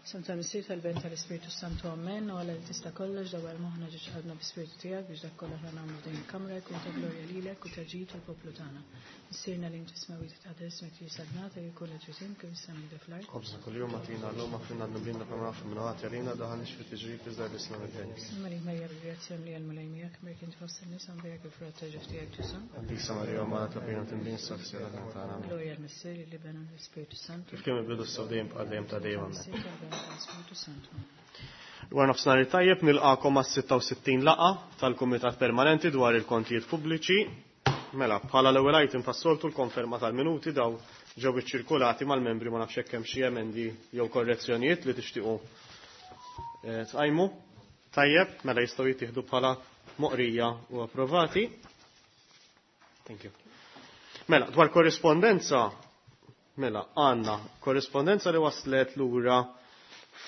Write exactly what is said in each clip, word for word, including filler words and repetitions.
Isem tal-Missier, tal-Iben, tal-Ispirtu Santu, amen. U Alla li tista' kollox, dawwal moħħna ġo qalbna bl-Ispirtu tiegħek biex dak kollha aħna nagħmlu f'din il-kamra jkun ta' glorja lilek u ta' ġid tal-poplu tagħna. Missierna li inti fis-smewwiet, titqaddes ismek, tiġi saltnatek, ikun li trid int kif fis-sema hekk fl-art. Ħobżna kuljum agħtina llum, aħfrilna dnubietna bħalma naħfru min hu ħati għalina, tdaħħalniex fi tiġrib iżda eħlisna mill-ħażin. Sliem għalik Marija, bil-grazzja mimlija, l-Mulej miegħek, imbierka inti fost in-nisa, imbierek il-frott ta' ġuf tiegħek Ġesù. Qaddisa Marija, Omm Alla, itlob għalina midinbin, issa u fis-siegħa tal-mewt tagħna. Amen. Glorja lill-Missier, lill-Iben u lill-Ispirtu Santu. Kif kien mill-bidu, issa u dejjem, bħal dejjem ta' dejjem. Amen. Missier, tal-Iben, tal-Ispirtu Santu. Wara nofsinhar tajjeb, nilqakom għas-sitta u sittin laqgħa tal-Kumitat Permanenti dwar il-Kontijiet Pubbliċi. Mela, bħala l-ewwel item tas-soltu, l-konferma tal-minuti. Dawn ġew iċċirkulati mal-membri, ma nafx hekk hemm xi emendi jew korrezzjonijiet li tixtiequ eh, tqajmu. Tajjeb, mela jistgħu jittieħdu bħala moqrija u approvati. Thank you. Mela, dwar korrispondenza, mela, għandna korrispondenza li waslet lura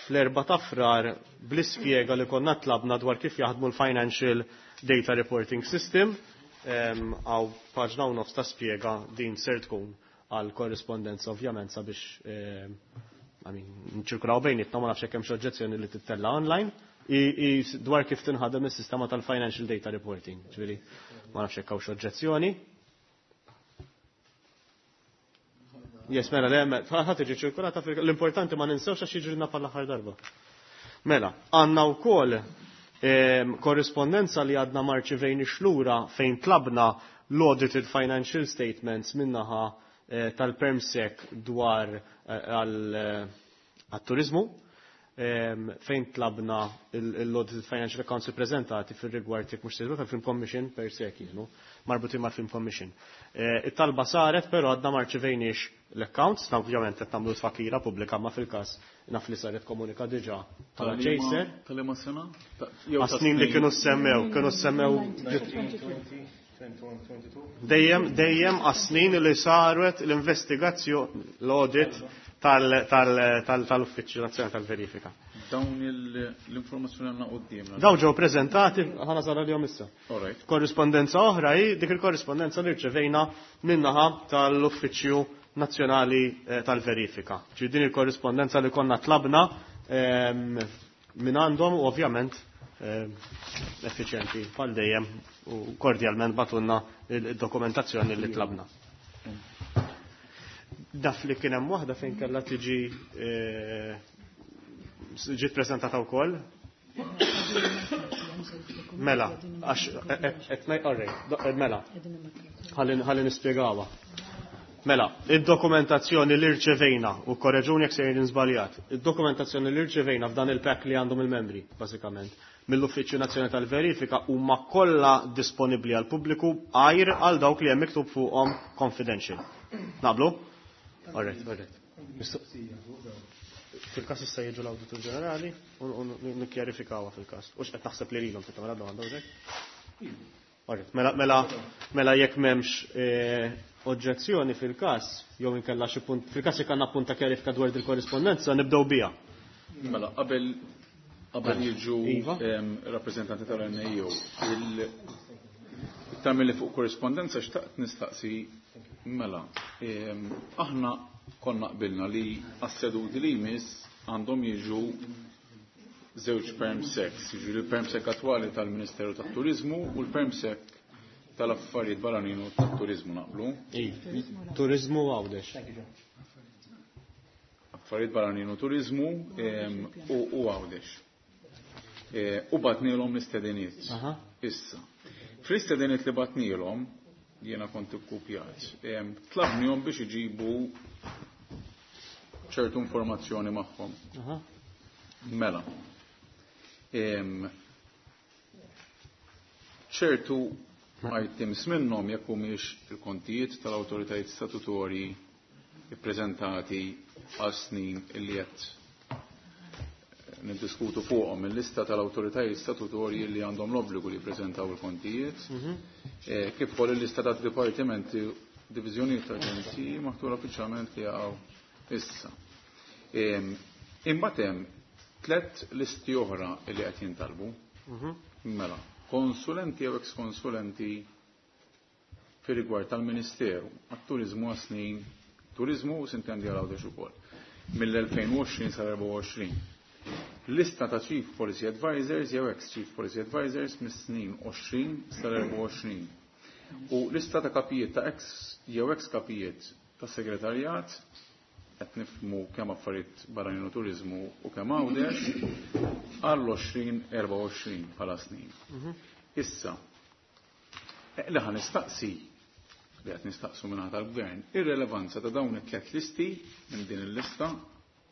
fl-erba ta' Frar bl-ispjega li konna tlabna dwar kif jaħdmu l-Financial Data Reporting System. Għaw paġna u nofs ta' spjega. Din ser tkun għal korrispondenza ovvjament sabiex I mean, nċirkulaw bejnietna, ma nafx hekk hemm xi oġġezzjoni li tittella online i, i dwar kif tinħadem is-sistema tal-Financial Data Reporting. Ġifieri ma nafx hekk hawn xi oġġezzjoni. Yes, mela, le, ħa tiġi ċirkulata, l-importanti ma ninsewx għax jiġrilna bħal darba. Mela, għandna wkoll korrispondenza li għadna ma rċivejniex lura fejn tlabna l-audited financial statements min-naħa eh, tal-PermSec dwar eh, għal-turizmu, fejn tlabna l-audited financial accounts prezentati fil-rigward, jekk mhux tal-Film Commission per se, kienu marbutin mal-Film Commission. Eh, it-talba saret, però għadna ma rċivejniex l-accounts, na ovvjament qed nagħmlu tfakira pubblika, ma fil-każ naf li saret komunika diġà bħala chaser. Tal-liema sena? Għas-snin li kienu semmew, kienu semmew dejjem dejjem għas-snin li saret l-investigazzjoni, l-audit tal-Uffiċċju Nazzjonali tal-Verifika. Dawn l-informazzjoni għandna qudiemna. Dawn ġew preżentati, ħa nasal għalihom issa. Korrispondenza oħra hi dik il-korrispondenza li rċevejna min-naħa tal-Uffiċċju Nazzjonali eh, tal-Verifika. Ġi din il-korrispondenza li konna tlabna ehm, minn għandhom u ovvjament ehm, effiċjenti bħal dejjem u kordjalment bagħtulna il-dokumentazzjoni li tlabna. Daf li kien hemm waħda fejn kellha tiġi eh, ġiet preżentata wkoll. Mela, għax qed ngħid, mela, ħalli nispjegawha. Mela, id-dokumentazzjoni li rċevejna, u korreġuni jekk sejrin żbaljat, id-dokumentazzjoni li rċevejna f'dan il-pack li għandhom il-membri, bażikament, mill-Uffiċċju Nazzjonali tal-Verifika huma kollha disponibbli għal pubbliku għajr għal dawk li hemm miktub fuqhom confidential. Naqblu? Alright, alright. Fil-kas issa jiġu l-Awditur Ġenerali u nikkjarifikawha fil-kas. U x'qed naħseb li lilhom titgħamel domanda u. Alright, mela, mela, mela jekk m'hemmx eh, oġġezzjoni fil-kas, jew inkella xi punt, fil-kas jekk għandna punt ta' kjarifika dwar il-korrispondenza, nibdew biha. Mela, qabel qabel Mela. jiġu Iva. em, rappreżentanti tal-N A O, il-tagħmel li fuq korrispondenza xtaqt nistaqsi, mela, em, aħna konna qbilna li għas-seduti li jmiss għandhom jiġu żewġ permsecs, jiġu l-permsec attwali tal-Ministeru tat-Turizmu u l-permsec tal-Affarijiet Barranin u tat-Turizmu, naqblu? Turizmu Għawdex. Affarijiet Barranin u Turizmu em, u u Għawdex. E, U bgħatnielhom l-istediniet. Aha. Issa. Fl-istediniet li bgħatnielhom, jiena kont ikkupjat, em, tlabnihom biex iġibu ċertu informazzjoni magħhom. Aha. Mela. Em, ċertu items minnhom jekk humiex il-kontijiet tal-awtoritajiet statutorji ippreżentati għal snin illi qed niddiskutu fuqhom, il-lista tal-awtoritajiet statutorji li għandhom l-obbligu li jippreżentaw il-kontijiet, eh, kif ukoll il-lista ta' dipartimenti, diviżjonijiet ta' aġenziji maħtura uffiċjalment li jaqgħu issa. Em, Imbagħad hemm tliet listi oħra li qed jintalbu. Mela, konsulenti jew ex-konsulenti fir rigward tal-Ministeru għat-turizmu għas-snin, turizmu u sintendi għal Għawdex ukoll. mill-elfejn u għoxrin sal-erbgħa u għoxrin. Lista ta' Chief Policy Advisors jew ex-Chief Policy Advisors mis-snin għoxrin sal-erbgħa u għoxrin. U lista ta' kapijiet ta' ex jew ex-kapijiet ta' segretarjat qed nifhmu kemm affarijiet barranin u turiżmu u kemm Għawdex għall-għoxrin erbgħa u għoxrin bħala snin. Issa, li ħa nistaqsi li qed nistaqsu minn tal-gvern, ir-relevanza ta' dawn it-tliet listi minn din il-lista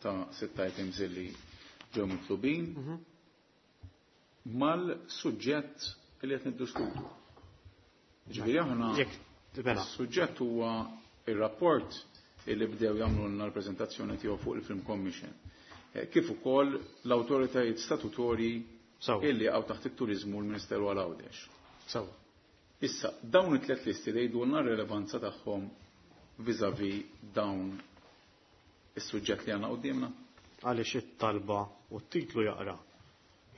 ta' sitt items li ġew mitlubin mal-suġġett li qed niddiskutu. Ġifieri aħna is-suġġett huwa ir-rapport li bdew jagħmlulna l-preżentazzjoni tiegħu fuq il-Film Commission. Kif ukoll l-awtoritajiet statutorji illi jaqgħu taħt it-turiżmu l-Ministeru għal Għawdex. Sewa. Issa, dawn it-tliet listi jgħidulna r-relevanza tagħhom vis-à-vis dawn is-suġġett li għandna quddiemna. Għaliex it-talba u t-titlu jaqra.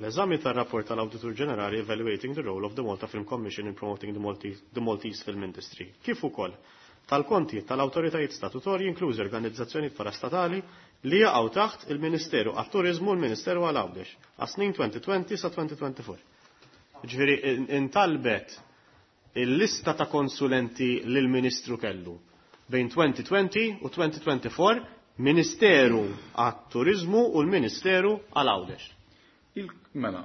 L-eżami tar-rapport tal-Awditur Ġenerali Evaluating the Role of the Malta Film Commission in Promoting the Maltese, the Maltese Film Industry. Kif ukoll tal-konti tal-awtoritajiet statutorji inklużi organizzazzjonijiet parastatali li jaqgħu taħt il-Ministeru għat-Turiżmu u l-Ministeru għal Għawdex għas-snin twenty twenty sa twenty twenty-four. Ġifieri intalbet il-lista ta' konsulenti li l-Ministru kellu bejn twenty twenty u twenty twenty-four, Ministeru għat-Turiżmu u l-Ministeru għal Għawdex. Mela,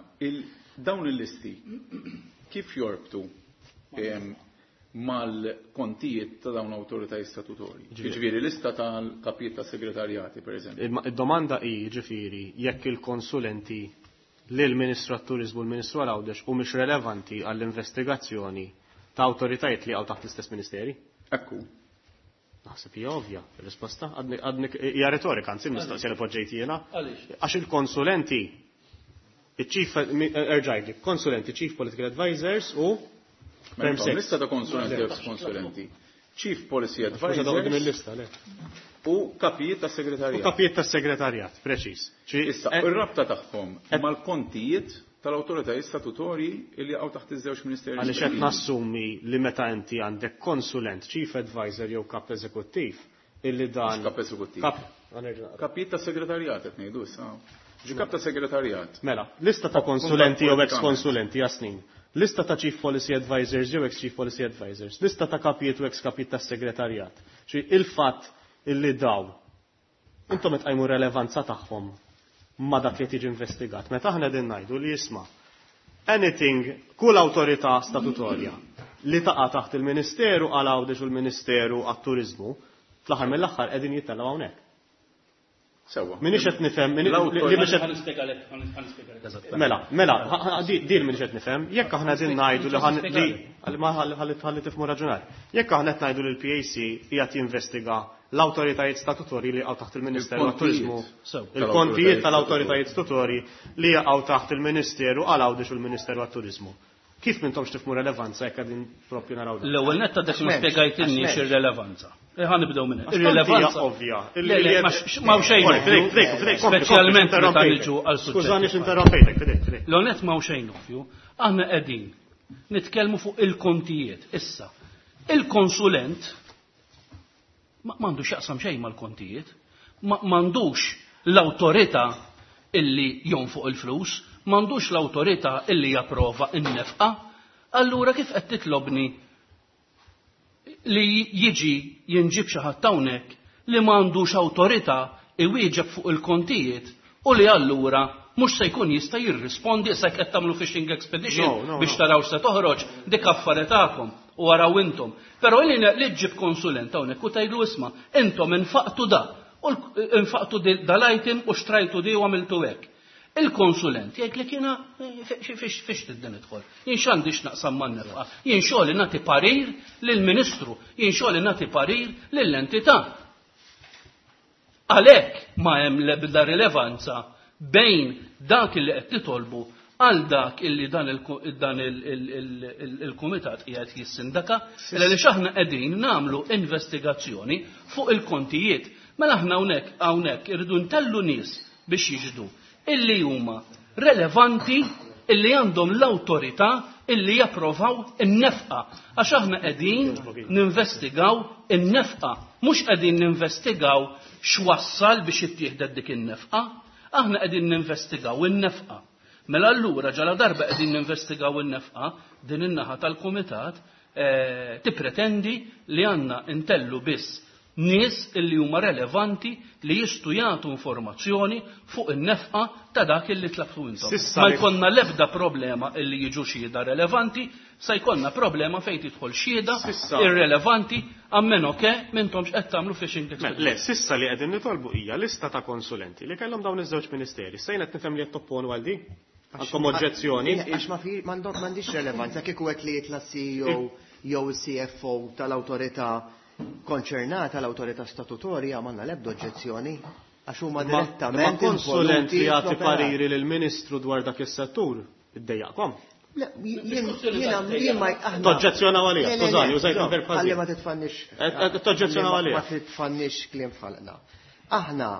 dawn il-listi kif jorbtu mal-kontijiet ta' dawn l-awtoritajiet statutorji? Ġifieri lista tal-kapijiet ta' segretarjati, per eżempju. Id-domanda hi, ġifieri, jekk il-konsulenti lil Ministru għat-Turiżmu u l-Ministru għal Għawdex u mhix relevanti għall-investigazzjoni ta' awtoritajiet li għaw taħt l-istess ministeri? Ekku. Naħseb hija ovvja, ir-risposta għadni hija retorika, anzi mistoqsija li poġġejt jiena. Għaliex? Għax il-konsulenti, il-chief, erġajli, konsulenti, Chief Political Advisors u Mela, lista ta' konsulenti u konsulenti. Chief Policy Advisors u kapijiet ta' segretarjat. U kapijiet ta' segretarjat, preċiż. Issa, ir-rabta tagħhom mal-kontijiet tal-awtoritajiet statutorji li jaqgħu taħt iż-żewġ ministeri. Għaliex qed nassumi li meta inti għandek konsulent, Chief Advisor jew kap eżekuttiv, illi dan Kap eżekuttiv. Kapijiet ta' segretarjat qed ngħidu issa. Ġi kap ta' segretarjat. Mela, lista ta' konsulenti jew ex-konsulenti jasnin. Lista ta' Chief Policy Advisors jew ex-Chief Policy Advisors, lista ta' kapijiet u ex-kapijiet tas segretarjat. Ċi il-fatt illi daw, intom qed tqajmu relevanza tagħhom ma dak li tiġi investigat. Meta aħna qegħdin ngħidu li jisma' anything, kull awtorità statutorja li taqa' taħt il-Ministeru għal Għawdex u l-Ministeru għat-Turiżmu, fl-aħħar mill-aħħar qegħdin jittellgħu hawnhekk. Sewa. Minix qed nifhem, li mhix qed Mela, mela, din minix qed nifhem, jekk aħna qegħdin ngħidu li ħalli ħalli tifhmu raġunar. Jekk aħna qed ngħidu li l-P A C qiegħed jinvestiga l-awtoritajiet statutorji li jaqgħu taħt il-Ministeru għat-Turiżmu, il-kontijiet tal-awtoritajiet statutorji li jaqgħu taħt il-Ministeru għal Għawdex u l-Ministeru għat-Turiżmu. Kif m'intomx tifhmu relevanza jekk qegħdin propju naraw dan? L-ewwel netta dak li spjegajtilni x'irrelevanza. Ħa nibdew minn hekk. Irrelevanza ovvja. Ma xejn. Speċjalment meta niġu għal suġġett. Skużani x'interrompejtek, fidejk, fidejk. L-onet ma xejn ovvju, aħna qegħdin nitkellmu fuq il-kontijiet issa. Il-konsulent m'għandux jaqsam xejn mal-kontijiet, m'għandux l-awtorità illi jonfoq il-flus, m'għandux l-awtorità illi japprova n-nefqa, allura kif qed titlobni li jiġi jinġib xi ħadd hawnhekk li m'għandux awtorità iwieġeb fuq il-kontijiet u li allura mhux se jkun jista' jirrispondi issa qed tagħmlu fishing expedition biex taraw se toħroġ dik affari tagħkom u araw intom. Però li li ġġib konsulent hawnhekk u tgħidlu isma' intom infaqtu da u infaqtu dal-item u xtrajtu di u għamiltu hekk. Il-konsulent jgħid li kiena fiex fiex tidden idħol. Jien x'għandix naqsam man-nefqa. Jien xogħli nagħti parir lill-Ministru, jien xogħli nagħti parir lill-entità. Għalhekk ma hemm l-ebda rilevanza bejn dak li qed titolbu għal dak illi dan il-kumitat qiegħed jissindaka, għaliex aħna qegħdin nagħmlu investigazzjoni fuq il-kontijiet. Mela aħna hawnhekk hawnhekk irridu ntellu nies biex jiġdu illi huma relevanti, illi għandhom l-awtorità illi japprovaw in-nefqa. Għax aħna qegħdin ninvestigaw in-nefqa, mhux qegħdin ninvestigaw x'wassal biex ittieħdet dik in-nefqa, aħna qegħdin ninvestigaw in-nefqa. Mela allura ġala darba qegħdin ninvestigaw in-nefqa, din in-naħa tal-kumitat eh, tippretendi li għandna intellu biss nies illi huma relevanti li jistgħu jagħtu informazzjoni fuq in-nefqa ta' dak illi tlabtu intom. Ma jkollna l-ebda problema illi jiġu xhieda relevanti, sa jkollna problema fejn tidħol xhieda irrelevanti ammeno ke m'intomx qed tagħmlu fishing expedition. Le, sissa li qegħdin nitolbu hija lista ta' konsulenti li kellhom dawn iż-żewġ ministeri. Sejn qed nifhem li qed topponu għal di? Għandkom oġġezzjoni? Għax ma m'għandix relevanza kieku qed li jitla' C E O jew C F O tal-awtorità konċernata, l-awtorità statutorja, m'għandna l-ebda oġġezzjoni għax huma direttament Ma konsulent li jagħti pariri lill-Ministru dwar dak is-settur iddejjaqkom. Le, jien jien ma aħna Toġġezzjonaw għalija, skużani, użajt il-verb ħażin. Ħalli ma titfannix. Toġġezzjonaw għalija. Ma titfannix kliem f'ħalqna. Aħna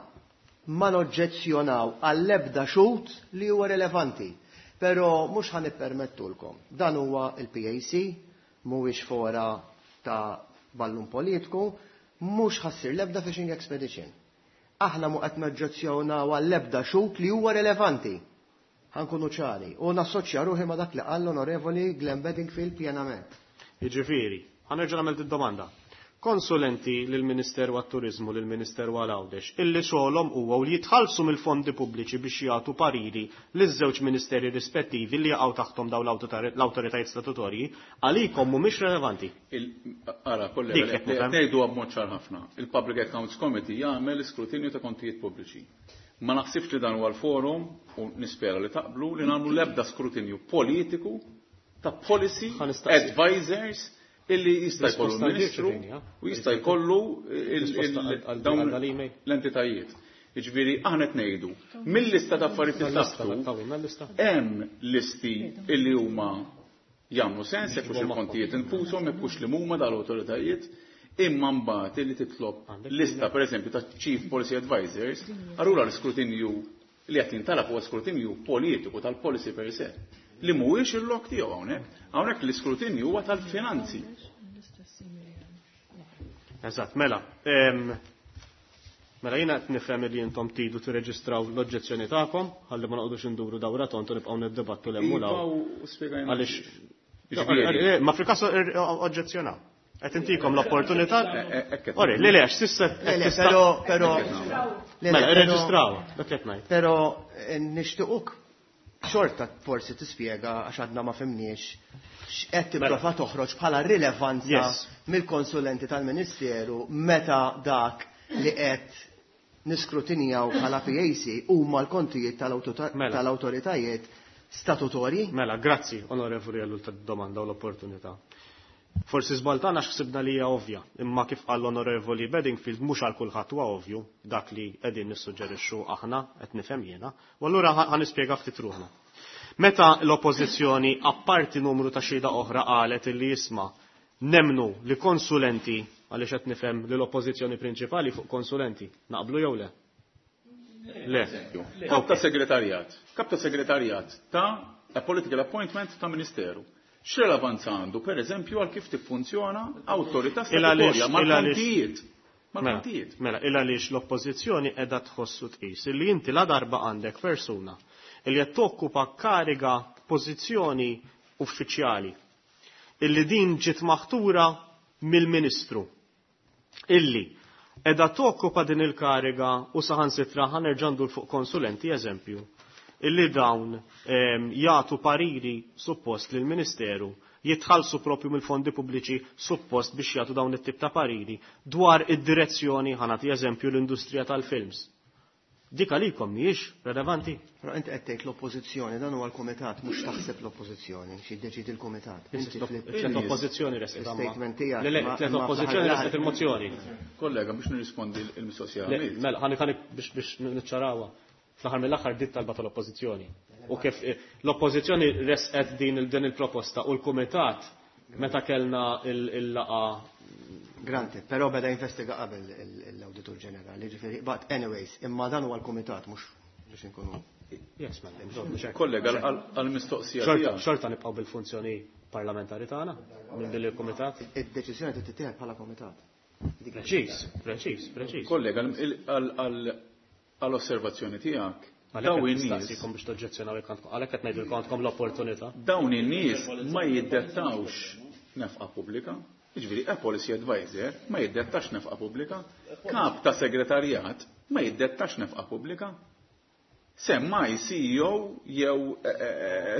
ma noġġezzjonaw għall-ebda xhud li huwa relevanti, però mhux ħa nippermettulkom. Dan huwa il-P A C, mhuwiex fora ta' ballun politiku, mhux ħassir l-ebda fishing expedition. Aħna mu qed noġġezzjonaw għall-ebda xhud li huwa relevanti. Ħankunu ċari u nassoċja ruħi ma' dak li qal l-Onorevoli Glenn Bedingfield pjenament. Jiġifieri, ħanerġa' nagħmel id-domanda. Konsulenti lill-Ministeru għat-Turiżmu, lill-Ministeru għal Għawdex, illi xogħolhom huwa li jitħallsu mill-fondi pubbliċi biex jagħtu pariri liż-żewġ ministeri rispettivi li jaqgħu taħthom dawn l-awtoritajiet statutorji, għalikom mhumiex relevanti. Ara, kollega, ngħidu b'mod ċar ħafna. Il-Public Accounts Committee jagħmel iskrutinju ta' kontijiet pubbliċi. Ma naħsibx li dan huwa l-forum u nispera li taqblu li nagħmlu l-ebda skrutinju politiku ta' policy advisors illi jista' jkollu l-Ministru u jista' jkollu dawn l-entitajiet. Jiġifieri aħna qed ngħidu mill-lista ta' affarijiet li tlabtu hemm listi illi huma jagħmlu sens jekk hux il-kontijiet infushom, jekk hux li huma dal-awtoritajiet, imma mbagħad illi titlob lista pereżempju ta' Chief Policy Advisors, allura l-iskrutinju li qed jintalab huwa skrutinju politiku tal-policy per se, li mhuwiex il-lok tiegħu hawnhekk. Hawnhekk l-iskrutinju huwa tal-finanzi. Eżatt, mela. Mela jiena qed nifhem li intom tridu tirreġistraw l-oġġezzjoni tagħkom, ħalli ma noqogħdux induru dawra tontu nibqgħu niddibattu l hemm u hawn. Għaliex ma fil-każ oġġezzjonaw. Qed intikom l-opportunità. Ori, le le, għax sissa Però però Mela, irreġistraw, dak qed ngħid. Però nixtiequk xorta forsi tispjega għax għadna ma fimniex x'qed tipprova toħroġ bħala rilevanza mill-konsulenti tal-Ministeru meta dak li qed niskrutinjaw bħala P A C huma l-kontijiet tal-awtoritajiet statutorji. Mela, grazzi, onorevoli, għall domanda u l-opportunità. Forsi żbaltana x'ħsibna li hija ovvja, imma kif qal l-Onorevoli Bedingfield mhux għal kulħadd huwa ovvju dak li qegħdin nissuġġerixxu aħna qed nifhem jiena, u allura ħa nispjega ftit ruħna. Meta l-Oppożizzjoni apparti numru ta' xhieda oħra qalet illi jisma' nemnu li konsulenti, għaliex qed nifhem li l-Oppożizzjoni prinċipali fuq konsulenti, naqblu jew le? Le. Kap ta' segretarjat, kap ta' segretarjat ta' a political appointment ta' ministeru. X'relevanza għandu, per eżempju, għal kif tiffunzjona awtorità statutorja mal-kontijiet. Mal-kontijiet. Mela, il għaliex l-oppożizzjoni qiegħda tħossu tqis illi inti la darba għandek persuna illi qed tokkupa kariga pożizzjoni uffiċjali illi din ġiet maħtura mill-Ministru illi qiegħda tokkupa din il-kariga u saħansitra ħanerġa' ndur fuq konsulenti eżempju illi dawn, ehm, jagħtu pariri suppost lill-Ministeru jitħallsu propju mill-fondi pubbliċi suppost biex jagħtu dawn it-tip ta' pariri dwar id-direzzjoni, ħa nagħti eżempju l-industrija tal-films. Dik għalikom mhijiex relevanti. Però inti qed tgħid l-oppożizzjoni, dan huwa l-kumitat, mhux taħseb l-oppożizzjoni, xi jiddeċidi l-kumitat. Inti tliet oppożizzjoni resqet amma. Statement tiegħek. Le, le, tliet oppożizzjoni resqet il-mozzjoni. Kollega, biex nirrispondi l-mistoqsija. Le, mela, ħani ħani biex, biex niċċarawha. Fl-aħħar mill-aħħar dit talba tal-oppożizzjoni. U kif, eh, l-oppożizzjoni resqet din il-, din il-proposta u l-kumitat meta kellna il-, il-laqa. Granted, però beda investiga qabel il-, l-Awditur Ġenerali, ġifieri, but anyways, imma dan huwa l-kumitat mhux biex inkunu. Yes, mela. Kollega, għal-mistoqsija tiegħek. Xorta nibqgħu bil-funzjoni parlamentari tagħna minn din il-kumitat. Id-deċiżjoni trid tittieħed bħala kumitat. Preċiż, preċiż, preċiż. Kollega, għall-osservazzjoni tiegħek, dawn in-nies biex toġġezzjonaw jekk għandkom, għalhekk qed ngħidilkom għandkom l-opportunità. Dawn in-nies ma jiddettawx nefqa pubblika. Jiġifieri, a policy advisor ma jiddettax nefqa pubblika, kap ta' segretarjat ma jiddettax nefqa pubblika. Semmai C E O jew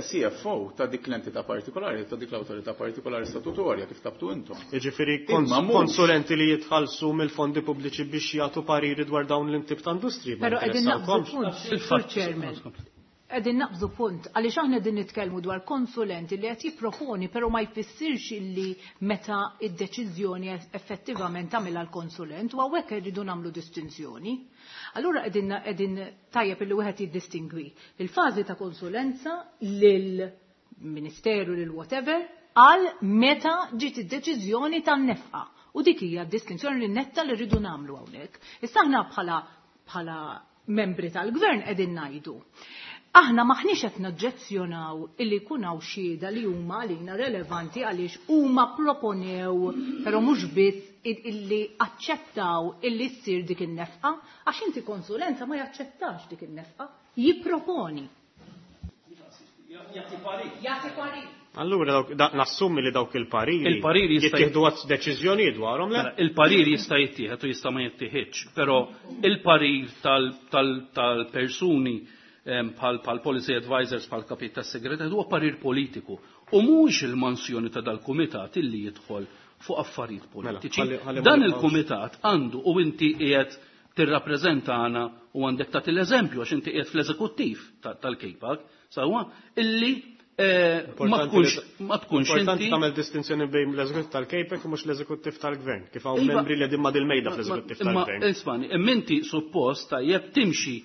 C F O ta' dik l-entità partikolari, ta' dik l-awtorità partikolari statutorja kif tabtu intom. Jiġifieri konsulenti li jitħallsu mill-fondi pubbliċi biex jagħtu pariri dwar dawn l-intip ta' industri. Però qegħdin naqbżu punt, Sur Chairman. Qegħdin naqbżu punt, għaliex aħna qegħdin nitkellmu dwar konsulenti li qed jipproponi, però ma jfissirx illi meta id-deċiżjoni effettivament tagħmilha l-konsulent, u hawnhekk irridu nagħmlu distinzjoni. Allura qegħdin qegħdin tajjeb illi wieħed jiddistingwi il-fażi ta' konsulenza lill-ministeru lil whatever għal meta ġiet id-deċiżjoni tan-nefqa. U dik hija d-distinzjoni li netta li rridu nagħmlu hawnhekk. Issa aħna bħala bħala membri tal-gvern qegħdin ngħidu. Aħna maħniex qed naġġezzjonaw illi jkun hawn xhieda li huma għalina relevanti għaliex huma proponew, però mhux biss illi aċċettaw illi ssir dik in-nefqa, għax inti konsulenza ma jaċċettax dik in-nefqa, jipproponi. Jagħti parir. Jagħti parir. Allura nassumi li dawk il-pariri Il-pariri jista' jittieħdu għad deċiżjoni dwarhom, le? Mela, il-parir jista' jittieħed u jista' ma jittieħedx, però il-parir tal-persuni bħal policy advisors, bħal kapit tas-segretarju, huwa parir politiku. U mhux il-mansjoni ta' dal-kumitat illi jidħol fuq affarijiet politiċi. Mela, ħalli, ħalli Dan ma nibqgħux. il-kumitat għandu, u inti qiegħed tirrappreżentana u għandek tagħti l-eżempju għax inti qiegħed fl-eżekuttiv tal-K PAC, sewwa, illi, eh, ma Importanti tkunx, li ma tkunx importanti inti tagħmel distinzjoni bejn l-eżekuttiv tal-K PAC u mhux l-eżekuttiv tal-gvern, kif hawn Iva, membri li qegħdin ma' dil-mejda ma- fl-eżekuttiv imma, tal-gvern. Ismani, imma inti suppost tajjeb timxi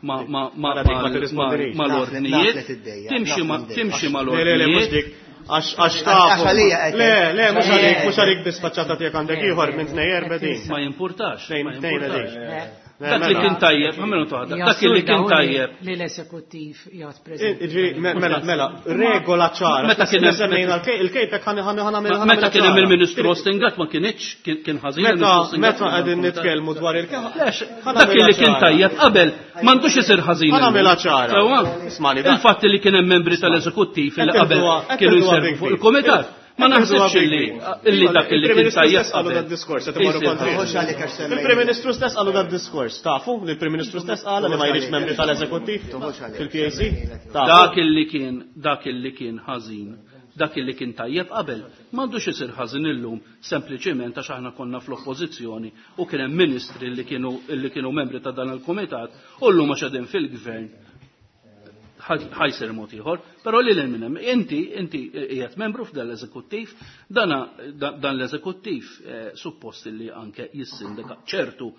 ma, ma, ma, Mela dik ma ma, tirrispondinix. ma l-ordnijiet, Naf li tiddejja, timxi naf ma, li timxi ma Le, le, le, mhux l-ordnijiet. dik. Għax, għax Għax tafu. għalija qed Le, le, mhux Għalija għalik, qed. mhux għalik biss faċċata tiegħek għandek ieħor minn tnejn erba' din. Ma jimpurtax, Tnejn, ma tnejn jimpurtax. għalik. Dak li kien tajjeb, ma minnu toħda, dak li kien tajjeb. Li l-eżekuttiv jgħat preżenti. Ġifieri, mela, mela, regola ċara. Meta kien hemm- Semmejna l-K-, il-K PAC ħani, ħani, ħani, ħani, Meta kien hemm ċara. il-Ministru Austin Gatt ma kienx, kien, kien ħażin Meta, il-Ministru Austin Gatt meta kien qegħdin hemm nitkellmu dwar il-K-, Lex, ħana dak li għamilha kien ċara. tajjeb qabel m'għandux isir ħażin Ħana illum. għamilha ċara. Sewwa? Ismani, da- Il-fatt li kien hemm membri tal-eżekuttiv li Qed qabel irduha, qed kienu irduha jservu big fuq deal. il-kumitat. Ma Qed irduha naħsibx big illi deal. illi dak illi kien Il-Prim Ministru tajjeb stess qalu qabel. dan diskors, qed imorru Isir kontra. ħażin. Mhux għalik għax semmejt. Il-Prim Ministru stess qalu dan diskors, tafu li l-Prim Ministru stess qal li ma jridx membri tal-eżekuttiv Mhux għalik. fil-P A C? Tafu. Dak illi kien, dak illi kien ħażin, dak illi kien tajjeb qabel, m'għandux isir ħażin illum sempliċiment għax aħna konna fl-oppożizzjoni u kien hemm ministri li kienu, li kienu membri ta' dan il-kumitat u llum għax qegħdin fil-gvern ħajsir mod ieħor, però li lil minn hemm inti, inti qiegħed membru f'dan l-eżekuttiv, dana, dan l-eżekuttiv, eh, suppost li anke jissindika ċertu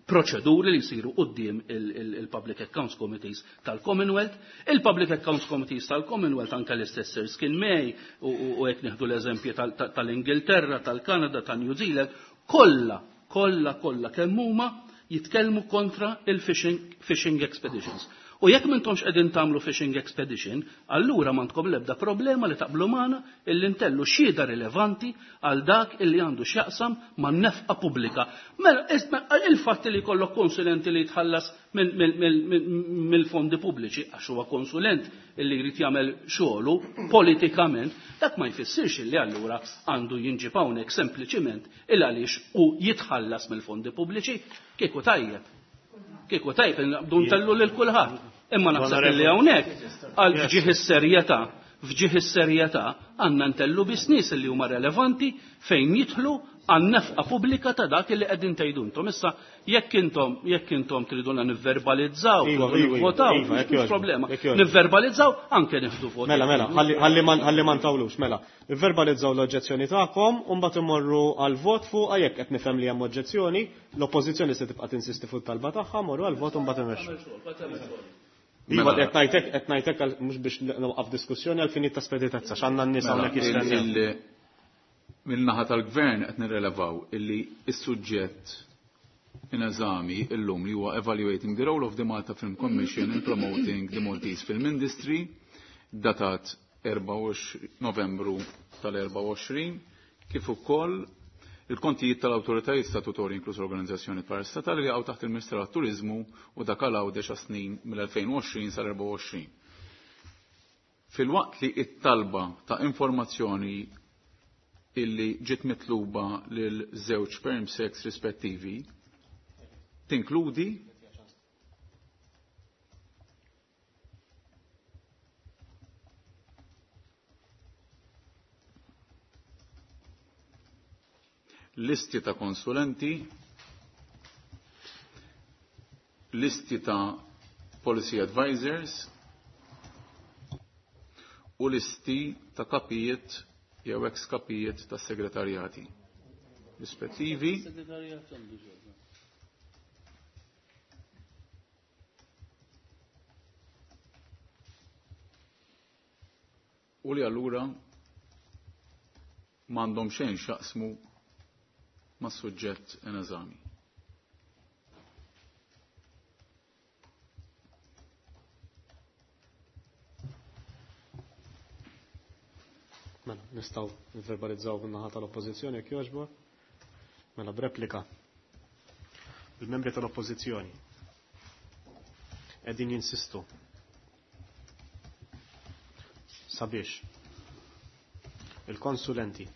proċeduri li jsiru quddiem il-, il-, il-Public Accounts Committees tal-Commonwealth. Il-Public Accounts Committees tal-Commonwealth anke l-istess Erskine May u, u, u hekk nieħdu l-eżempji tal-, tal-, tal-Ingilterra, tal-Kanada, tal-New Zealand, kollha, kollha, kollha kemm huma jitkellmu kontra il-fishing fishing expeditions. U jekk m'intomx qegħdin tagħmlu fishing expedition, allura m'għandkom l-ebda problema li taqblu magħna illi ntellu xhieda rilevanti għal dak illi għandu x'jaqsam man-nefqa pubblika. Mela, isma', il-fatt li jkollok konsulenti li jitħallas mill-, mill-, mill-, mill-, mill-fondi pubbliċi, għax huwa konsulent illi jrid jagħmel xogħlu politikament, dak ma jfissirx illi allura għandu jinġib hawnhekk sempliċiment il għaliex u jitħallas mill-fondi pubbliċi, kieku tajjeb. Kieku tajjeb naqbdu ntellu lil kulħadd. Imma naħseb li hawnhekk għal fġieħ is-serjetà, fġieħ is-serjetà għandna ntellu biss nies li huma relevanti fejn jidħlu għan-nefqa pubblika ta' dak li qegħdin tgħidu intom. Issa jekk intom, jekk intom triduna nivverbalizzaw, Iva, tridu iva, nivvotaw, iva, jekk mhux jogħġbok, problema. jekk jogħġbok. Nivverbalizzaw anke nieħdu voti. Mela, mela, ħalli, ħalli ma, ħalli ma ntawlux, mela. Nivverbalizzaw l-oġġezzjoni tagħkom u mbagħad imorru għal vot fuq jekk qed nifhem li hemm oġġezzjoni, l-oppożizzjoni se tibqa' tinsisti fuq talba tagħha, morru għal vot u mbagħad imexxu. Iva, Mela. qed ngħidlek, qed ngħidlek għal, mhux biex nwaqaf diskussjoni għal finit ta' speditezza, x'għandna n-nies Mela, hawnhekk jistennew. il-, il-, min-naħa tal-gvern qed nirrelevaw illi s-suġġett in eżami illum li huwa Evaluating the Role of the Malta Film Commission in Promoting the Maltese Film Industry, datat erbgħa u għoxrin Novembru tal-erbgħa u għoxrin, kif ukoll il-kontijiet tal-awtoritajiet statutorji inkluż l-organizzazzjoni parastatali li jaqgħu taħt il-Ministeru għat-Turiżmu u dak għal Għawdex għas-snin mill-elfejn u għoxrin sal-erbgħa u għoxrin. Filwaqt li it-talba ta' informazzjoni illi ġiet mitluba lil żewġ perm sex rispettivi tinkludi listi ta' konsulenti, listi ta' policy advisors u listi ta' kapijiet jew ex-kapijiet ta' segretarjati rispettivi. U li allura m'għandhom xejn x'jaqsmu ma' suġġett in eżami. Mela, nistgħu nverbalizzaw bin-naħa tal-Oppożizzjoni jekk jogħġbok. Mela b'replika. Il-membri tal-Oppożizzjoni qegħdin jinsistu sabiex il-konsulenti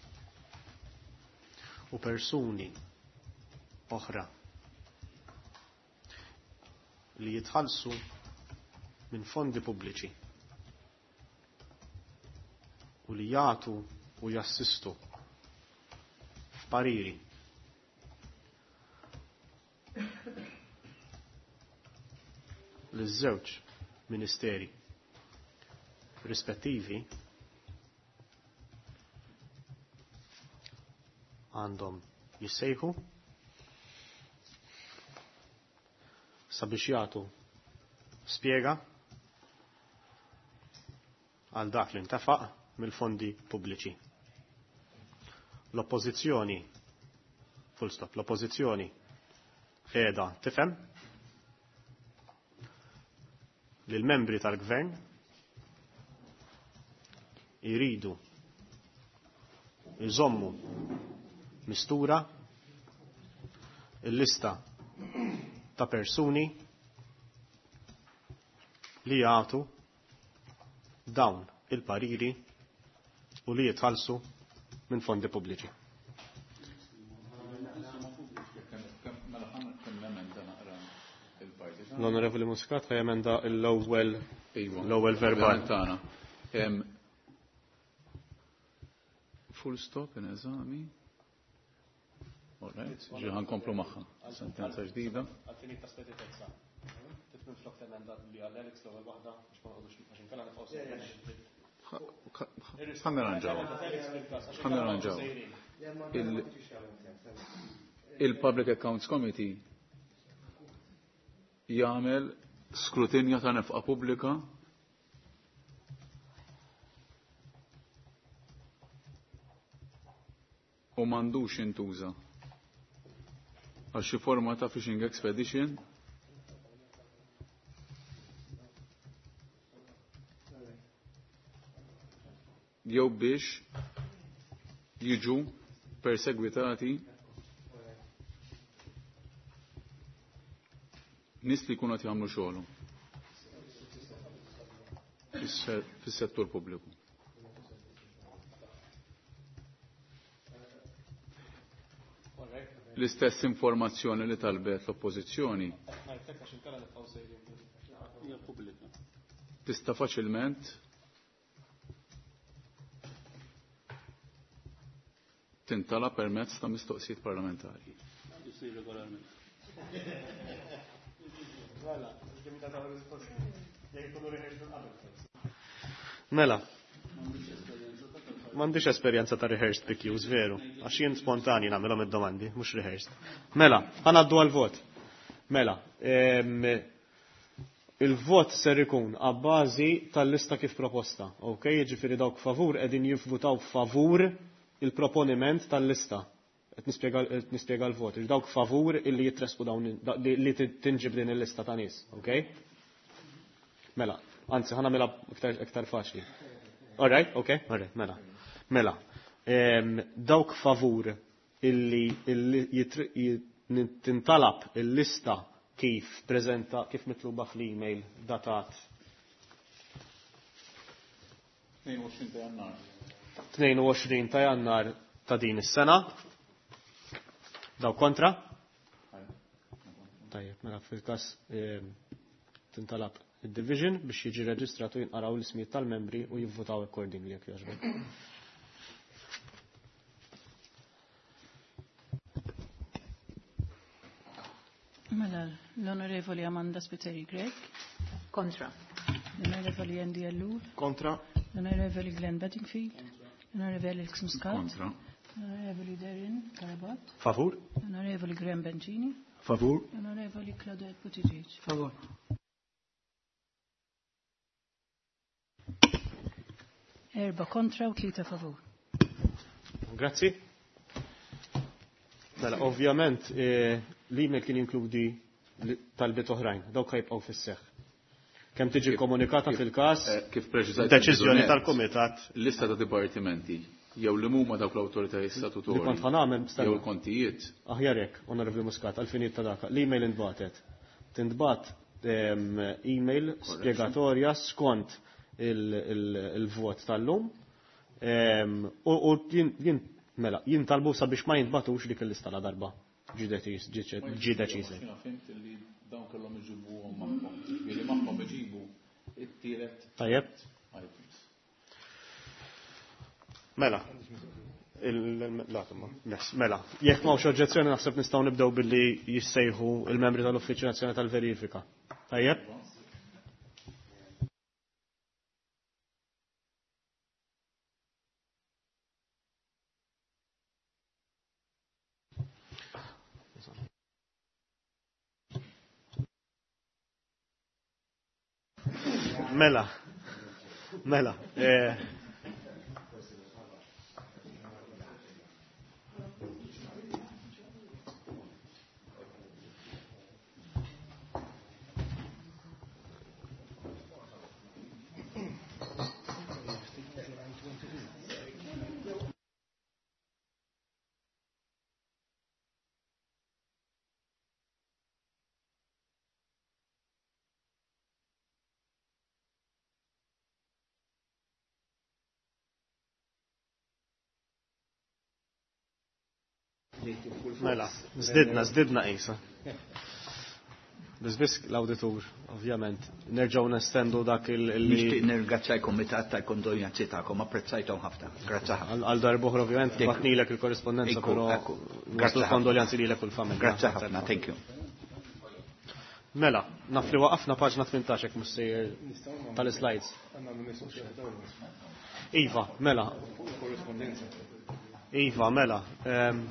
u persuni oħra li jitħallsu minn fondi pubbliċi u li jagħtu u jassistu f'pariri liż-żewġ ministeri rispettivi għandhom jissejħu sabiex jagħtu spjega għal dak li ntefaq mill-fondi pubbliċi. L-oppożizzjoni, full stop, l-oppożizzjoni qiegħda tifhem li l-membri tal-gvern jridu jżommu mistura il-lista ta' persuni li jagħtu dawn il-pariri u li jitħallsu minn fondi pubbliċi. L-Onorevoli Muscat ħajemenda l-ewwel l-ewwel verbal tagħna. Full stop in eżami. All right, ġiħan komplu maħħa. Sentenza ġdida. Għaltini ta' speditezza. Titmin flok temenda li għall-Alex l-ewwel waħda biex ma nqogħdux għax inkella nifqgħu. Ħa nirranġaw. Ħa nirranġaw. Il-Public Accounts Committee jagħmel skrutinja ta' nefqa pubblika u m'għandux intuża għal xi forma ta' fishing expedition jew biex jiġu persegwitati nies li jkunu qed jagħmlu xogħolhom fis-settur pubbliku. L-istess informazzjoni li talbet l-oppożizzjoni tista' faċilment tintala permezz ta' mistoqsijiet parlamentari. Mela, m'għandix esperjenza ta' rehearsed P Qs, veru, għax jien spontani nagħmilhom id-domandi, mhux rehearsed. Mela, ħanaddu għal-vot. Mela, il-vot ser ikun għabbażi tal-lista kif proposta, ok? Jiġifieri dawk favur qegħdin jivvutaw favur il-proponiment tal-lista. Qed nispjega l-vot. Dawk favur illi jitresqu dawn li tinġib din il-lista ta' nies, ok? Mela, anzi ħa nagħmilha iktar iktar faċli. All right, ok, all right, mela. Mela. Dawk favur illi tintalab il-lista kif preżenta kif mitluba fl-email datat tnejn u għoxrin ta' Jannar. tnejn u għoxrin ta' Jannar ta' din is-sena. Daw kontra? Tajjeb, mela fil-każ tintalab id-division biex jiġi reġistratu, jinqaraw l-ismijiet tal-membri u jivvotaw accordingly, jekk jogħġbok. Mela, l-Onorevoli Amanda Spiteri Grech. Kontra. L-Onorevoli Andy Ellul. Kontra. L-Onorevoli Glenn Bedingfield. L-Onorevoli Alex Muscat. Kontra. L-Onorevoli Darren Carabott. Favur. L-Onorevoli Graham Bencini. Favur. L-Onorevoli Claudette Buttigieg. Favur. Erba kontra u tlieta favur. Grazzi. Mela, ovvjament, l-email kien jinkludi talbiet oħrajn, dawk ħajbqgħu fis-seħħ. Kemm tiġi komunikata fil-każ, Kif preċiżajt deċiżjoni tal-Kumitat. Lista ta' dipartimenti jew li huma dawk l-awtoritajiet statutorji. Li kont ħa nagħmel. Jew il-kontijiet. Aħjar hekk, Onorevoli Muscat, għal-finijiet ta' daka. L-email intbagħtet. Tintbagħat email spjegatorja skont il-vot tal-lum. U jien mela, jintalbu sabiex ma jintbatux dik il-lista la darba ġi deċiża. Fhimt li dawn kellhom iġibuhom magħhom. Ġifieri magħhom iġibu it-tielet Tajjeb. items. Mela. Mela, jekk m'hawnx oġġezzjoni, naħseb nistgħu nibdew billi jissejħu il-membri tal-Uffiċċju Nazzjonali tal-Verifika. Tajjeb? Mela, mela. Eh, Mela, zdidna, zdidna isa. Biss biss l-auditur, ovvjament. Nerġgħu nestendu dak il- Nixtieq nirringrazzja l-Kumitat tal-kondoljanzi tagħkom, apprezzajthom ħafna. Grazzi ħafna. Għal darb'oħra, ovvjament, bgħatnilek il-korrispondenza, però Grazzi kondoljanzi lilek u l-familja. Grazzi ħafna, thank you. Mela, naf li waqafna paġna tmintax, jekk mhux sejjer, tal-slides. Iva, mela. Iva, mela. Ehm,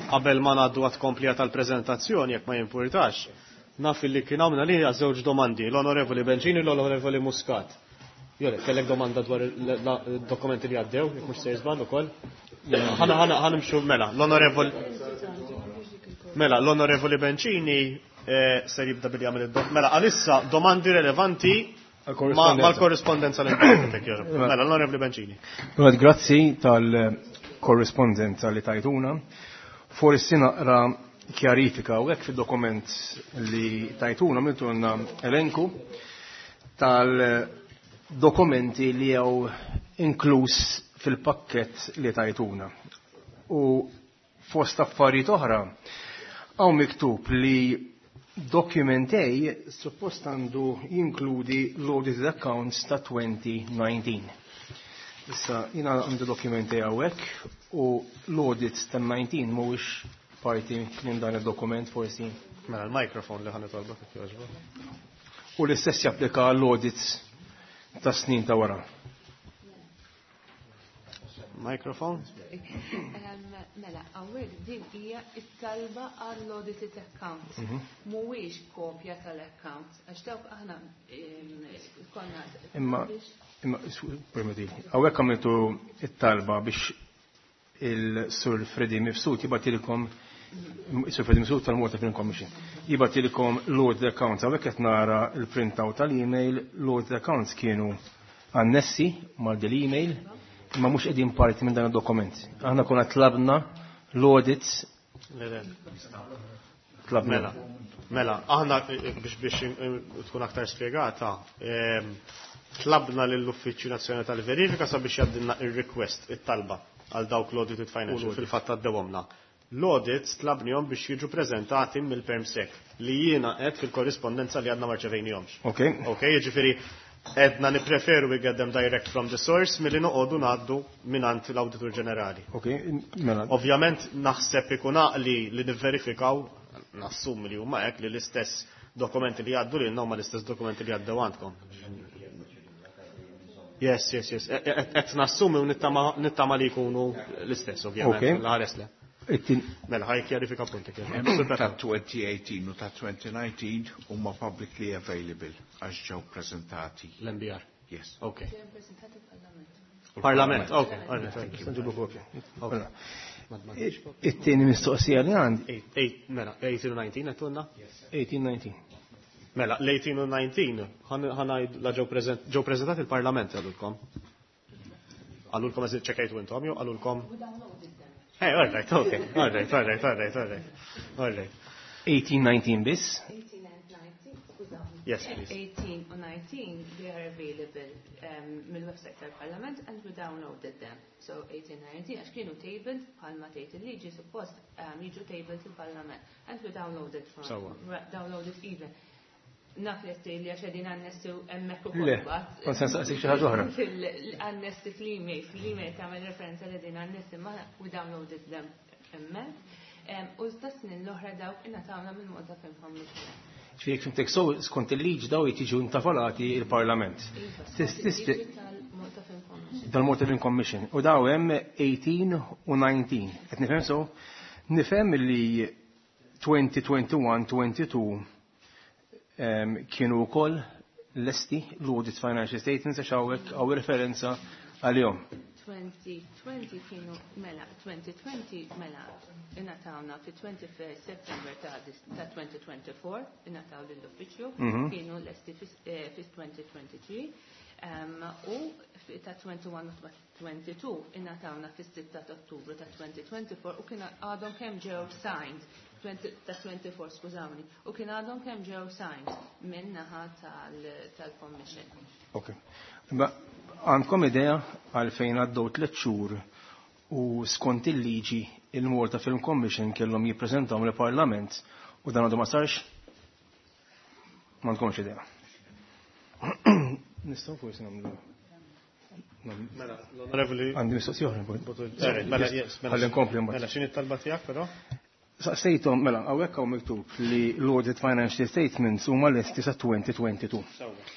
Qabel ma ngħaddu għat-komplija tal-preżentazzjoni, jekk ma jimpurtax, naf li kien għamna li żewġ domandi, l-Onorevoli Bencini u l-Onorevoli Muscat. Jole, kellek domanda dwar il-dokumenti li għaddew, jekk mhux sejjer żball ukoll? Ħana ħana ħa nimxu mela, l-Onorevoli Mela, l-Onorevoli Bencini eh, ser jibda billi jagħmel id Mela, għalissa domandi relevanti mal-korrispondenza li. Mela, l-Onorevoli Bencini. Grazzi tal-korrispondenza li tajtuna. Forsi naqra kjarifika u hekk fil-dokument li tajtuna għamiltulna elenku tal-dokumenti li jew inkluż fil-pakket li tajtuna. U fost affarijiet oħra, hawn miktub li document A suppost għandu jinkludi l-audited accounts ta' elfejn u dsatax. Issa, jina għandu document A hawnhekk u l-audit ta' dsatax mhuwiex parti minn dan il-dokument forsi. Mela, l-mikrofon li ħa nitolbok, jekk jogħġbok. U l-istess japplika l-audits ta' snin ta' wara. Mikrofon? Mela, hawnhekk din hija it-talba għall-audited accounts. Mhm. Mhuwiex kopja tal-accounts, għax dawk aħna konna. Imma, imma, permetti, hawnhekk għamiltu it-talba biex il-Sur Freddy Mifsud jibgħatilkom, Sur Freddy Mifsud tal-Malta Film Commission, jibgħatilkom l-audit accounts. Hawnhekk qed nara l-printout tal-email, l-audit accounts kienu annessi mal email imma mhux qegħdin parti minn dan id-dokument. Aħna konna tlabna l-audits. Tlabna. Mela, mela, aħna eh, biex biex eh, tkun aktar spjegata, ehm, tlabna lill-Uffiċċju Nazzjonali tal-Verifika sabiex jgħaddilna ir-request, it-talba għal dawk l-audited financial, fil-fatt għaddewhomna. L-audits tlabnihom biex jiġu preżentati mill-PermSec li jiena qed fil-korrispondenza li għadna ma rċevejnihomx. Ok. Ok, jiġifieri edna nipreferu we get them direct from the source milli noqogħdu ngħaddu mingħand l-Awditur Ġenerali. Ok, mela. Ovvjament naħseb ikun għaqli li nivverifikaw, nassum li huma hekk, li l-istess dokumenti li jgħaddu lilna huma l-istess dokumenti li għaddew għandkom. Yes, yes, yes. Qed nassumi u nittama nittama li jkunu l-istess, ovvjament. Ok. L-ħares le. It-tin- Mela, ħaj kjarifika punti. Ta' twenty eighteen u ta' twenty nineteen huma publicly available għax ġew prezentati. L-M B R. Yes. Ok. Ġew prezentati Parlament. Parlament, ok. All right, all right. Nġibu kopja. Ok. Mela. It-tieni mistoqsija li għandi. Eight, eight, mela, eighteen u nineteen għedtulna? eighteen nineteen. Mela, l-eighteen u nineteen, ħanajd la ġew prezent- ġew prezentati il-Parlament għalulkom. Għalulkom eżil ċekajtu intom, jew għalulkom? Hey, all right, okay, all right, all right, all right, all right, all right. eighteen nineteen biss. eighteen and nineteen, skużawni. Yes, please. eighteen u nineteen, they are available um, mill-website tal-Parlament and we downloaded them. So eighteen, nineteen, għax kienu tabled bħalma tgħid il-liġi suppost um, jiġu tabled il-Parlament and we downloaded from Sewwa. Downloaded even. Naf li qed li għax qegħdin annessi hemmhekk ukoll Le, mbagħad. kont se nsaqsik xi ħaġa oħra. Fil-annessi fl-email, fl-email tagħmel referenza li qegħdin annessi, ma we downloaded them hemmhekk. Em, U ta' snin l-oħra dawk ingħatawna minn Malta Film Commission. Ġifieri fimtek so, skont il-liġi daw jiġu intavolati il-Parlament. Iva, Tis- skont tis- il-liġi tal-Malta Film Commission. Dal-Malta Film Commission. U daw hemm eighteen u nineteen. Qed nifhem so? Nifhem li twenty twenty-one twenty-two em, kienu wkoll lesti l-audit financial statements għax hawnhekk hawn referenza għalihom. twenty twenty kienu, mela, twenty twenty, mela, ingħatawna fi twenty-first September ta' dis- ta' twenty twenty-four, ingħataw lill-uffiċċju, Mhm. kienu lesti fi eh, fi twenty twenty-three, um, u fi- ta' twenty-one u twenty-two ingħatawna fis-sitta ta' Ottubru ta' twenty twenty-four u kien għadhom kemm ġew signed twenty ta' twenty-four, skużawni, u kien għadhom kemm ġew signed minn naħa tal- tal-Commission. Ok. Ma għandkom idea għalfejn għaddew tliet xhur u skont il-liġi il-Malta Film Commission kellhom jippreżentaw lill-Parlament u dan għadu ma sarx? M'għandkomx idea. Nistgħu forsi nagħmlu. Mela, l-Onorevoli. Għandi mistoqsija oħra. Sorry, mela, yes, mela. Ħalli nkompli mbagħad. Mela, x'inhi t-talba tiegħek però? Saqsejthom, mela, hawnhekk hawn miktub li l-audit financial statements huma lesti sa twenty twenty-two. Sewwa.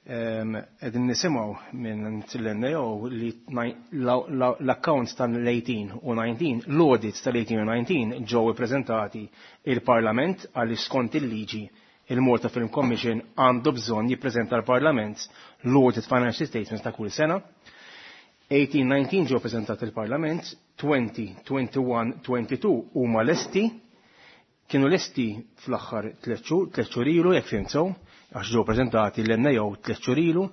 Qegħdin nisimgħu minn l-N A O li l-accounts tal-eighteen u nineteen, l-audits tal-eighteen u nineteen ġew ippreżentati il-Parlament għaliex skont il-liġi il-Malta Film Commission għandu bżonn jippreżenta l-Parlament l-audit financial statements ta' kull sena. eighteen nineteen ġew preżentati il-Parlament, twenty, twenty-one, twenty-two huma lesti, kienu lesti fl-aħħar tliet xhur, tliet xhur ilu jekk fhimt sew, għax ġew preżentati l-N A O tliet xhur ilu,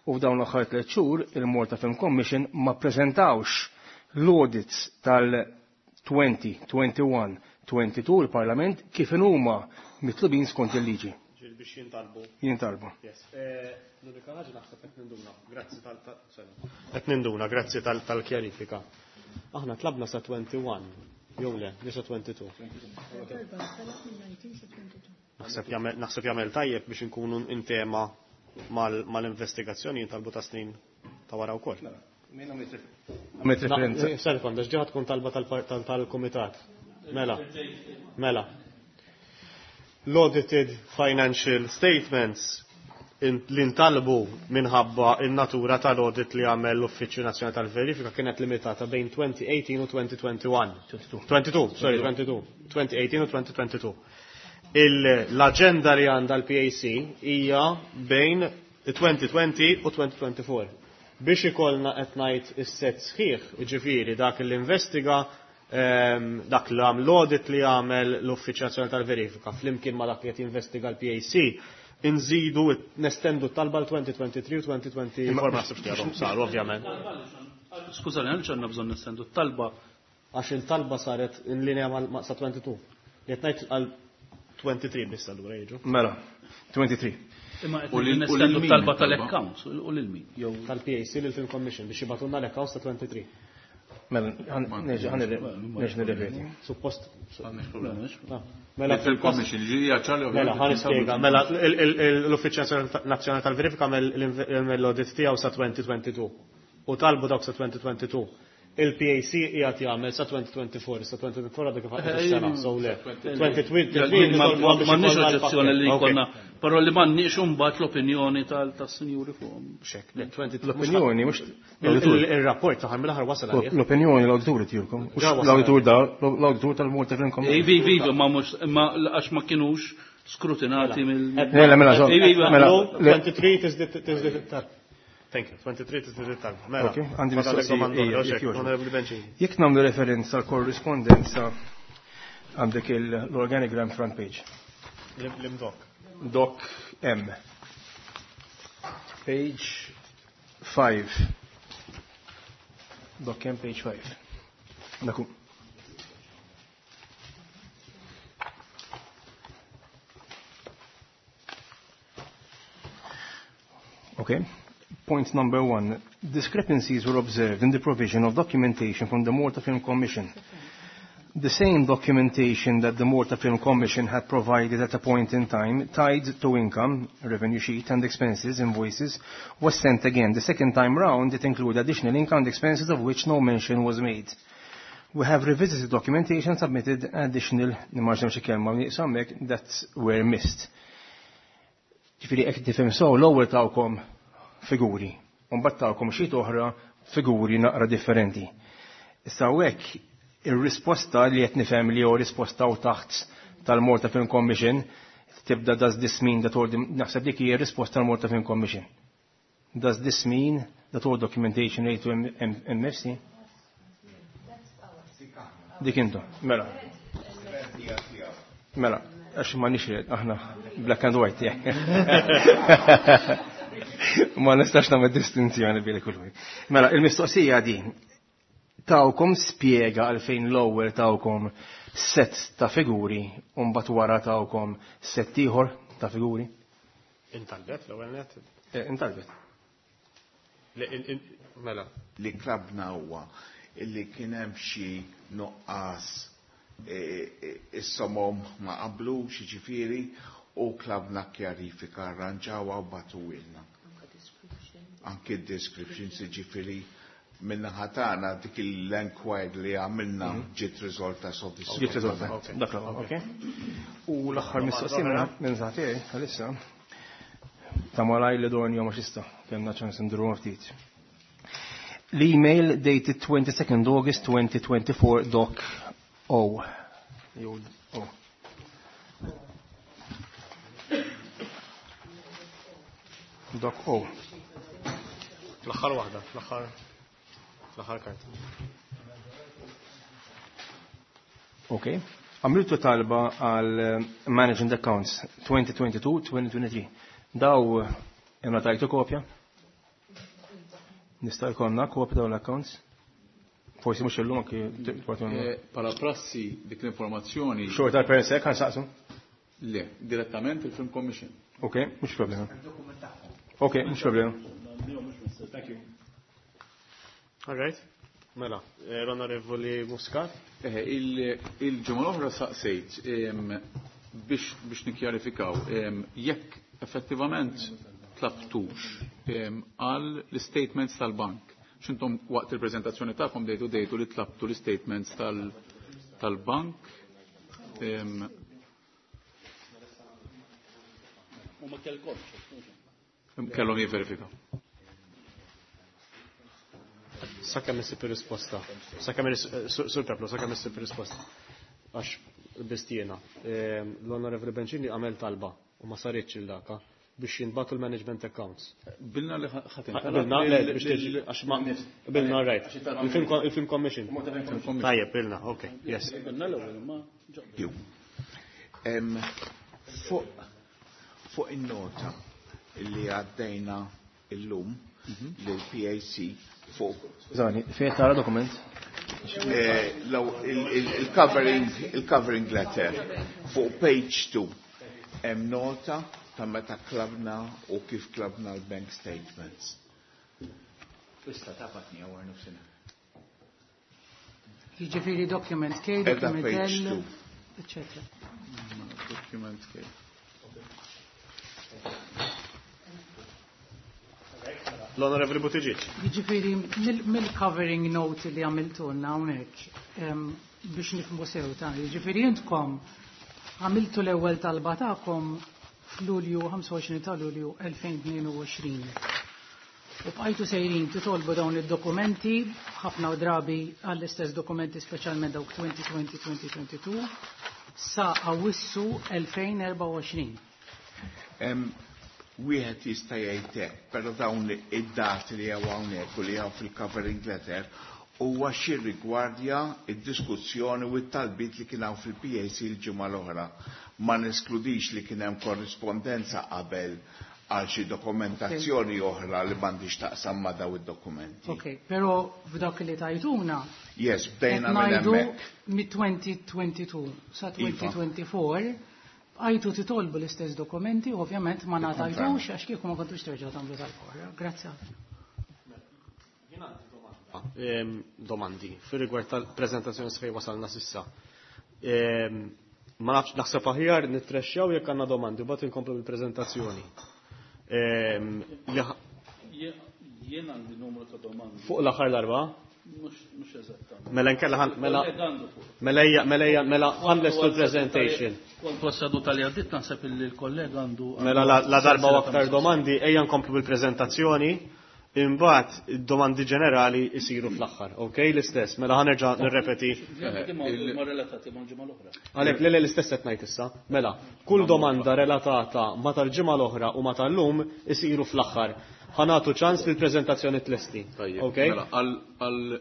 u f'dawn l-aħħar tliet xhur il-Malta Film Commission ma preżentawx l-audits tal-twenty, twenty-one, twenty-two il-Parlament kif huma mitlubin skont il-liġi. Ġieli biex jintalbu. Jintalbu. Yes. Eh, L-unika ħaġa naħseb qed ninduna. Grazzi tal tal- sorry. Qed ninduna, grazzi tal- tal-kjarifika. Aħna tlabna sa twenty-one, jew le, jew sa twenty-two. Naħseb jagħmel naħseb jagħmel tajjeb biex inkunu intema mal-investigazzjoni jintalbu ta' snin ta' wara wkoll. Għamilt referenza. Serkon, għax ġeħat tkun talba tal- tal-komitat. Mela, mela. L-audited financial statements li ntalbu minħabba il-natura tal-audit li għamel l-Uffiċċju Nazzjonali tal-Verifika kienet limitata bejn twenty eighteen u twenty twenty-one. twenty-two, sorry, twenty-two. twenty eighteen u twenty twenty-two. L-agenda li għandha l-P A C hija bejn twenty twenty u twenty twenty-four. Biex ikollna qed ngħid is-set sħiħ, jiġifieri dak li investiga, ehm, dak li għamel l-audit li għamel l-Uffiċċju Nazzjonali tal-Verifika flimkien ma dak li qed jinvestiga l-P A C, inżidu nestendu t-talba l-elfejn u tlieta u għoxrin u elfejn u erbgħa u għoxrin, ma naħsibx li għadhom saru, ovvjament. Skużani, għaliex għandna bżonn nestendu t-talba? Għax il-talba saret in linja ma' sa tnejn u għoxrin. Li qed ngħid għal tlieta u għoxrin biss allura jiġu. Mela, tlieta u għoxrin. Imma U qed lil- u lil nestendu min t-talba it-talba? tal-accounts, u lil min? Jew Tal-P A C lil Film Commission biex jibagħtulna l-accounts ta' tlieta u għoxrin. Mela, nerġa' nirrepeti. Suppost. Mela, Mela Il-Film Commission, ġiri ċarli. Mela, ħa nispjega. Mela, l-Uffiċċju Nazzjonali tal-Verifika għamel l-audit tiegħu sa elfejn u tnejn u għoxrin. U talbu dawk sa elfejn u tnejn u għoxrin. Il-P A C qiegħed jagħmel sa elfejn u erbgħa u għoxrin, sa elfejn u erbgħa u għoxrin għadha kif ħadet is-sena, so le. elfejn u tlieta u għoxrin M'għandniex oġġezzjoni li jkollna, però li m'għandniex imbagħad l-opinjoni tas-sinjuri fuqhom. Xek, le, tlieta u għoxrin L-opinjoni, mhux Il-rapport taħar mill-aħħar wasal għalih. L-opinjoni l-awditur tijulkom. Mhux Ġa wasal. l-awditur da, l-awditur tal-Malta Film Commission. Ivi, ivi, ma mhux ma għax ma kienux skrutinati mill. Le, le, mela, Ivi, ivi, mela, le. tlieta u għoxrin tiżdied tiżdied it-talba. Thank you. tlieta u għoxrin tiżdied it-talba. Mela. Ok, għandi Fadalek mistoqsija, domanda ija, oħra, jekk xek, jogħġbok. Onorevoli Bencini. Jekk nagħmlu referenza għal korrispondenza, għandek l-organigram front page. L-imdok. Doc M. Page five. Doc M, page five. Daku. Okay. Point number one. Discrepancies were observed in the provision of documentation from the Malta Film Commission. The same documentation that the Malta Film Commission had provided at a point in time, tied to income, revenue sheet and expenses, invoices, was sent again. The second time round, it included additional income and expenses of which no mention was made. We have revisited documentation, submitted additional, nimmaġna xi kelma nieqsa that were missed. Ġifieri hekk tifhem so l-ewwel tawkom figuri, u mbagħad tawkom xi oħra figuri naqra differenti. Issa hekk ir-risposta li qed nifhem li hu risposta u taħt tal-Malta Film Commission tibda "Does this mean that all", naħseb dik hija risposta tal-Malta Film Commission. "Does this mean that all documentation related to M F C" Dik intu, mela. Mela, għax ma nixred, aħna black and white, yeah. Ma nistax nagħmel distinzjoni bejn kull. Mela, il-mistoqsija di, tawkom spjega għalfejn l-ewwel tawkom set ta' figuri u mbagħad wara tawkom set ieħor ta' figuri? Intalbet l-ewwel net. Eh, intalbet. Mela. Li tlabna huwa illi kien hemm xi nuqqas, e, e, is-somom ma qablux, jiġifieri, u tlabna kjarifika, arranġawha u bagħtuhielna. Anke descriptions, jiġifieri min-naħa tagħna dik l-enquiry li għamilna ġiet riżolta. Ġiet riżolta. Dak ok. U l-aħħar mistoqsija minn tiegħi għalissa ta' malaj li dorn jom xista, kellna ċans nduru ftit. L-email dated twenty-second August twenty twenty-four, doc O. Jew O. Doc O. L-aħħar waħda, l-aħħar l-aħħar karta. Ok. Għamiltu talba għal eh, Management Accounts twenty twenty-two twenty twenty-three. Daw imma tajtu kopja? Nista' jkollna kopja dawn l-accounts? Forsi mhux illum anki. Eh, Pala prassi dik l-informazzjoni. Xorta per sek ħa nsaqsu? Le, direttament il-Film Commission. Ok, mhux problema. Ok, mhux problema. Thank you. All right. Mela, eh, l-Onorevoli Muscat. Eh, il-ġimgħa l-oħra saqsejt biex biex nikkjarifikaw jekk effettivament tlabtux għal l-statements tal-bank. X'intom waqt il-preżentazzjoni tagħkom dejtu dejtu li tlabtu l-statements tal-bank. U ma kellkomx. Kellhom jivverifikaw. Sakemm issib ir-risposta. Sakemm, Sur Peplo, sakemm issib ir-risposta. Għax bistiena. L-Onorevoli Bencini għamel talba u ma saritx il-daka. biex jinbatu l-management accounts. Bilna li ħatin. Bilna, le, biex tiġi, għax ma, bilna, right. Il-Film Commission. Tajjeb, bilna, ok, yes. Bilna l-ewwel ma. Fuq in-nota li għaddejna illum l-P A C fuq. Skużani, fejn tara dokument? Il-covering il-covering letter fuq page two hemm nota ta' meta klabna u kif klabna l-bank statements. Issa ta' patni għawar nofsina. Jiġifieri document K, document L, eccetera. Document K. L-Onorevoli Buttigieg. Jiġifieri mill-covering note li għamiltulna hawnhekk biex nifhmu sew ta' jiġifieri intkom għamiltu l-ewwel talba tagħkom f'Lulju ħamsa u għoxrin ta' Lulju elfejn tnejn u għoxrin. U bqajtu sejrin titolbu dawn id-dokumenti ħafna drabi għall-istess dokumenti speċjalment dawk twenty twenty twenty twenty-two sa Awwissu elfejn erbgħa u għoxrin. Wieħed jista' jgħid hekk, però dawn id-dati li hawn hawnhekk u li hawn fil-covering letter huwa xi rigwardja id-diskussjoni u t-talbiet li kien hawn fil-P A C l-ġimgħa l-oħra. Ma neskludix li kien hemm korrispondenza qabel għal xi dokumentazzjoni oħra li m'għandix taqsam ma' daw id-dokumenti. Ok, però f'dak li tajtuna Yes, bdejna minn hemmhekk. Mit-twenty twenty-two sa twenty twenty-four għajtu titolbu l-istess dokumenti, ovvjament ma ngħatajtux għax kieku ma kontux terġgħu tagħmlu tal-korra. Grazzi. Domandi fir-rigward tal-preżentazzjoni fejn wasalna s'issa. Ma nafx naħseb aħjar nittrexxjaw jekk għandna domandi u bagħad inkomplu bil-preżentazzjoni. Jien għandi numru ta' domandi. Fuq l-aħħar darba? Mhux eżattament. Mela nkella ħan mela mela mela mela ħanlestu l-presentation. Kont wasadu tal għaddit naħseb li l-kollega għandu. Mela la darba u aktar domandi ejja nkomplu bil-preżentazzjoni, imbagħad id-domandi ġenerali jsiru fl-aħħar. Ok, l-istess, mela ħanerġa' nirrepeti. Ma relatati mal-ġimgħa l-oħra. Għalhekk le l-istess qed ngħid issa. Mela, kull domanda relatata ma tal-ġimgħa l-oħra u ma tal-lum isiru fl-aħħar. Ħanatu ċans fil-preżentazzjoni tlesti. Tajjeb, mela għal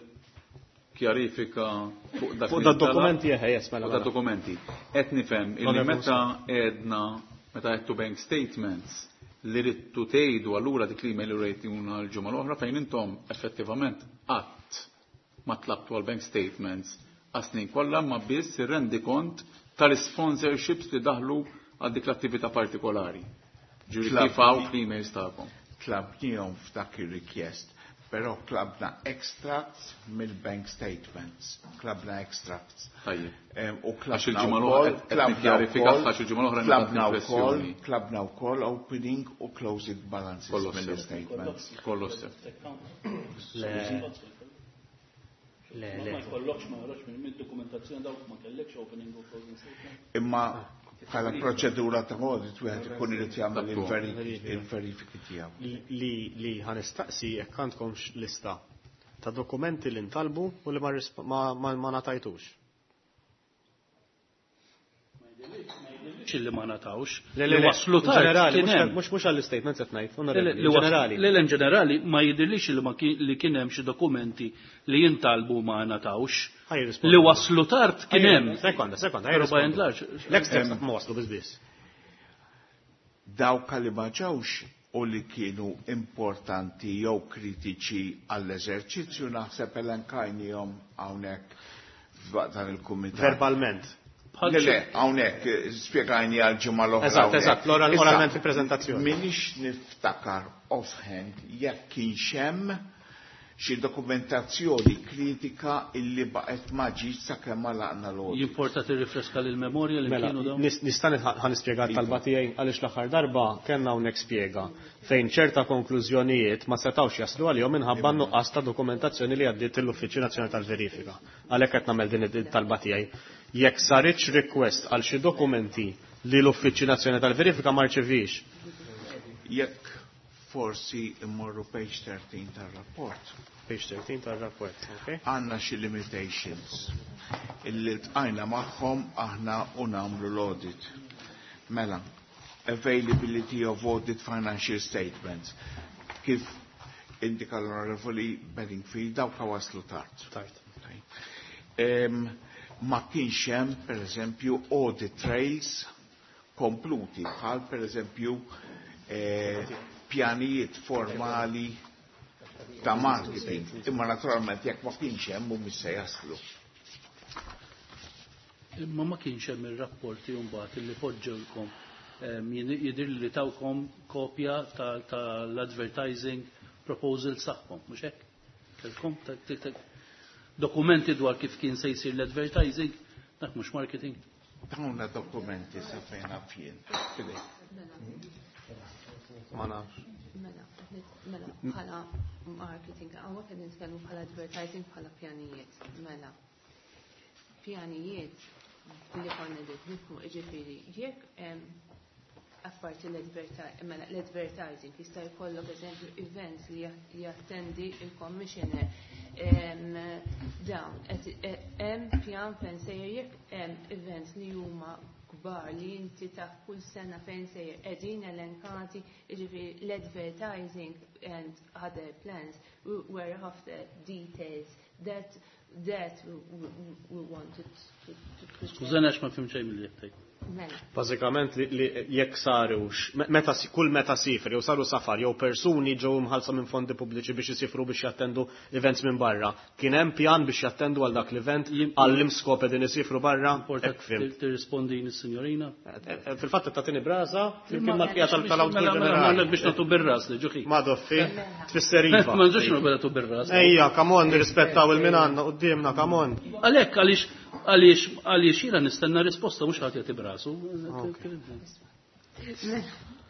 kjarifika fuq dak fuq da dokumenti eħe, yes, mela. Fuq da dokumenti. Qed nifhem illi meta għedna meta għedtu bank statements li ridtu tgħidu allura dik l-email li rejtuna l-ġimgħa l-oħra fejn intom effettivament qatt ma tlabtu għal bank statements għas-snin kollha ma biss irrendi kont tal-sponsorships li daħlu għal dik l-attività partikolari. Ġifieri kif hawn fl-emails tagħkom. Tlabnihom f'dak ir-request, però klabna extracts mill-bank statements, klabna extracts. Tajjeb. U Għax il-ġimgħa l-oħra qed nikkjarifika għax il-ġimgħa l-oħra klabna wkoll, klabna wkoll opening u closing balances mill-statements. Kollox sew. Le. Le, le. Ma jkollokx ma joħroġ minn dokumentazzjoni dawk ma kellekx opening u closing statement. Imma bħala proċedura ta' audit wieħed ikun irid jagħmel il-verifiki tiegħu. Li li ħanistaqsi jekk għandkomx lista ta' dokumenti li ntalbu u li ma ma ngħatajtux. Li ma ngħatawx. Le, le, Li waslu tard ġenerali, kien hemm. mhux mhux għall-statements qed ngħid, Le, onorevoli, li waslu- ġenerali. Le, le, in ġenerali ma jidhirlix li ma kien, li kien hemm xi dokumenti li jintalbu ma ngħatawx. Ħaj jirrispondi. Li waslu tard kien hemm. Sekonda, sekonda, ħaj Però by and jirrispondi. large, L-extracts ma waslu biss biss. Dawk li ma ġewx u li kienu importanti jew kritiċi għall-eżerċizzju naħseb elenkajnihom hawnhekk f'dan il-kumitat. Verbalment. Le, le, hawnhekk spjegajni għal ġimgħa l-oħra. Eżatt, hawnhekk. eżatt, l-oral- Issa, oralment fil-preżentazzjoni. Minix niftakar offhand jekk kienx hemm xi dokumentazzjoni kritika illi baqgħet ma ġietx sakemm għalaqna l-audit. Jimporta tirrifreska lil-memorja li Mela, kienu dawn? nis-, nista' nitħ-, ħa nispjega t-talba tiegħi għaliex l-aħħar darba kellna hawnhekk spjega fejn ċerta konklużjonijiet ma setgħux jaslu għalihom minħabba nuqqas ta' dokumentazzjoni li għaddiet l-Uffiċċju Nazzjonali tal-Verifika. Għalhekk qed nagħmel din it-talba tiegħi. Jekk saritx request għal xi dokumenti li l-Uffiċċju Nazzjonali tal-Verifika ma rċevix. Jekk forsi immorru page thirteen tar-rapport. Page thirteen tar-rapport, ok. Għandna xi limitations illi ltqajna magħhom aħna u nagħmlu l-audit. Mela, availability of audit financial statements. Kif indika l-Onorevoli Bedingfield, dawk waslu tard. Tard. Um, ma kienx hemm, per eżempju, audit trails kompluti, bħal per eżempju eh, pjanijiet formali ta' marketing. Imma naturalment jekk ma kienx hemm mhumiex se jaslu. Imma ma kienx hemm ir-rapporti mbagħad li poġġewlkom jidhir li tawkom kopja tal-advertising proposal tagħhom, mhux hekk? Kelkom dokumenti dwar kif kien se jsir l-advertising, dak mhux marketing. Tawna dokumenti sa fejn naf jien. Ma nafx. Mela, mela, bħala marketing, hawnhekk qed nitkellmu bħala advertising bħala pjanijiet. Mela, pjanijiet li konna qed nifhmu jiġifieri jekk apparti mela, l-advertising jista' jkollok eżempju events li jattendi il-commissioner, dawn hemm pjan fejn sejjer jekk hemm events li huma kbar li inti taf kull sena fejn sejjer qegħdin elenkati, jiġifieri l-advertising and other plans were after details that that we, we wanted to, to, to Skużani għax ma fhimt xejn milli qed. Mela. Bażikament li, li jekk sarux, meta kull meta sifri, jew saru safar, jew persuni ġew imħallsa minn fondi pubbliċi biex isifru biex jattendu events minn barra. Kien hemm pjan biex jattendu għal dak l-event għal skop qegħdin isifru barra? Hekk fhimt. Tirrispondini s-sinjorina? Fil-fatt tagħtini brasa, flimkien mal-bqija tal-Awditur Ġenerali. Biex nagħtu bir-ras li ġuħi. Madoffi, tfisser iva. Ma nżux nagħtu bir-ras. Ejja, come on, nirrispettaw il-min għandna quddiemna, come on. Għalhekk għaliex għaliex għaliex jiena nistenna risposta mhux ħadd jagħti brasu.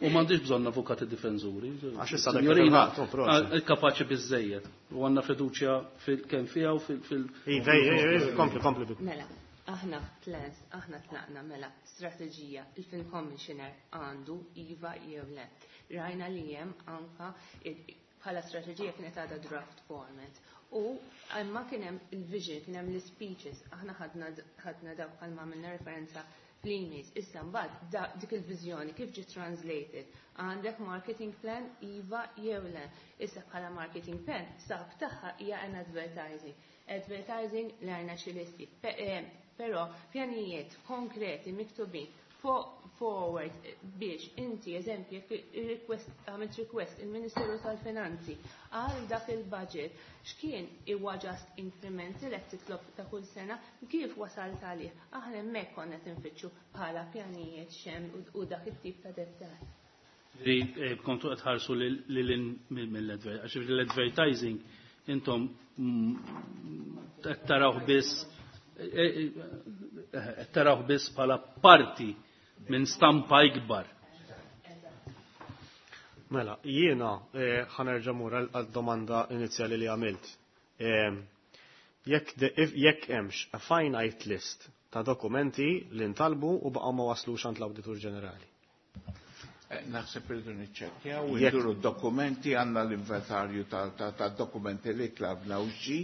U m'għandix bżonn avukati difensuri. Għax issa dak Signorina, il-ħadd, oh, proset. kapaċi biżejjed. U għandna fiduċja fil kemm fiha u fil fil Iva, iva, kompli, kompli. Mela, aħna plans, aħna tlaqna mela strateġija il-Film Commissioner għandu iva jew le. Rajna li hemm anka bħala strateġija kienet għadha draft format. U imma kien hemm il-vision, kien hemm l-speeches, aħna ħadna ħadna dawk bħalma għamilna referenza fl-emails. Issa mbagħad dik il-viżjoni kif ġiet translated? Għandek marketing plan iva jew le. Issa bħala marketing plan sab tagħha hija an advertising. Advertising l-għajna xi listi. Però pjanijiet konkreti miktubin forward biex inti eżempju request għamilt request il-Ministeru tal-Finanzi għal dak il-budget x'kien huwa just incremental qed titlob ta' kull sena kif wasalt għalih. Aħna hemmhekk konna qed infittxu bħala pjanijiet x'hemm u dak it-tip ta' dettall. Li kontu qed ħarsu lil mill-advertising, għax l-advertising intom qed tarawh biss qed tarawh biss bħala parti minn stampa ikbar. Mela, jiena ħa nerġa' mmur għal domanda inizjali li għamilt. Jekk jekk hemmx a finite list ta' dokumenti li ntalbu u baqgħu ma waslux għand l-Awditur Ġenerali. Naħseb irridu niċċekkjaw u nduru dokumenti, għandna l-inventarju ta' dokumenti li tlabna u xi.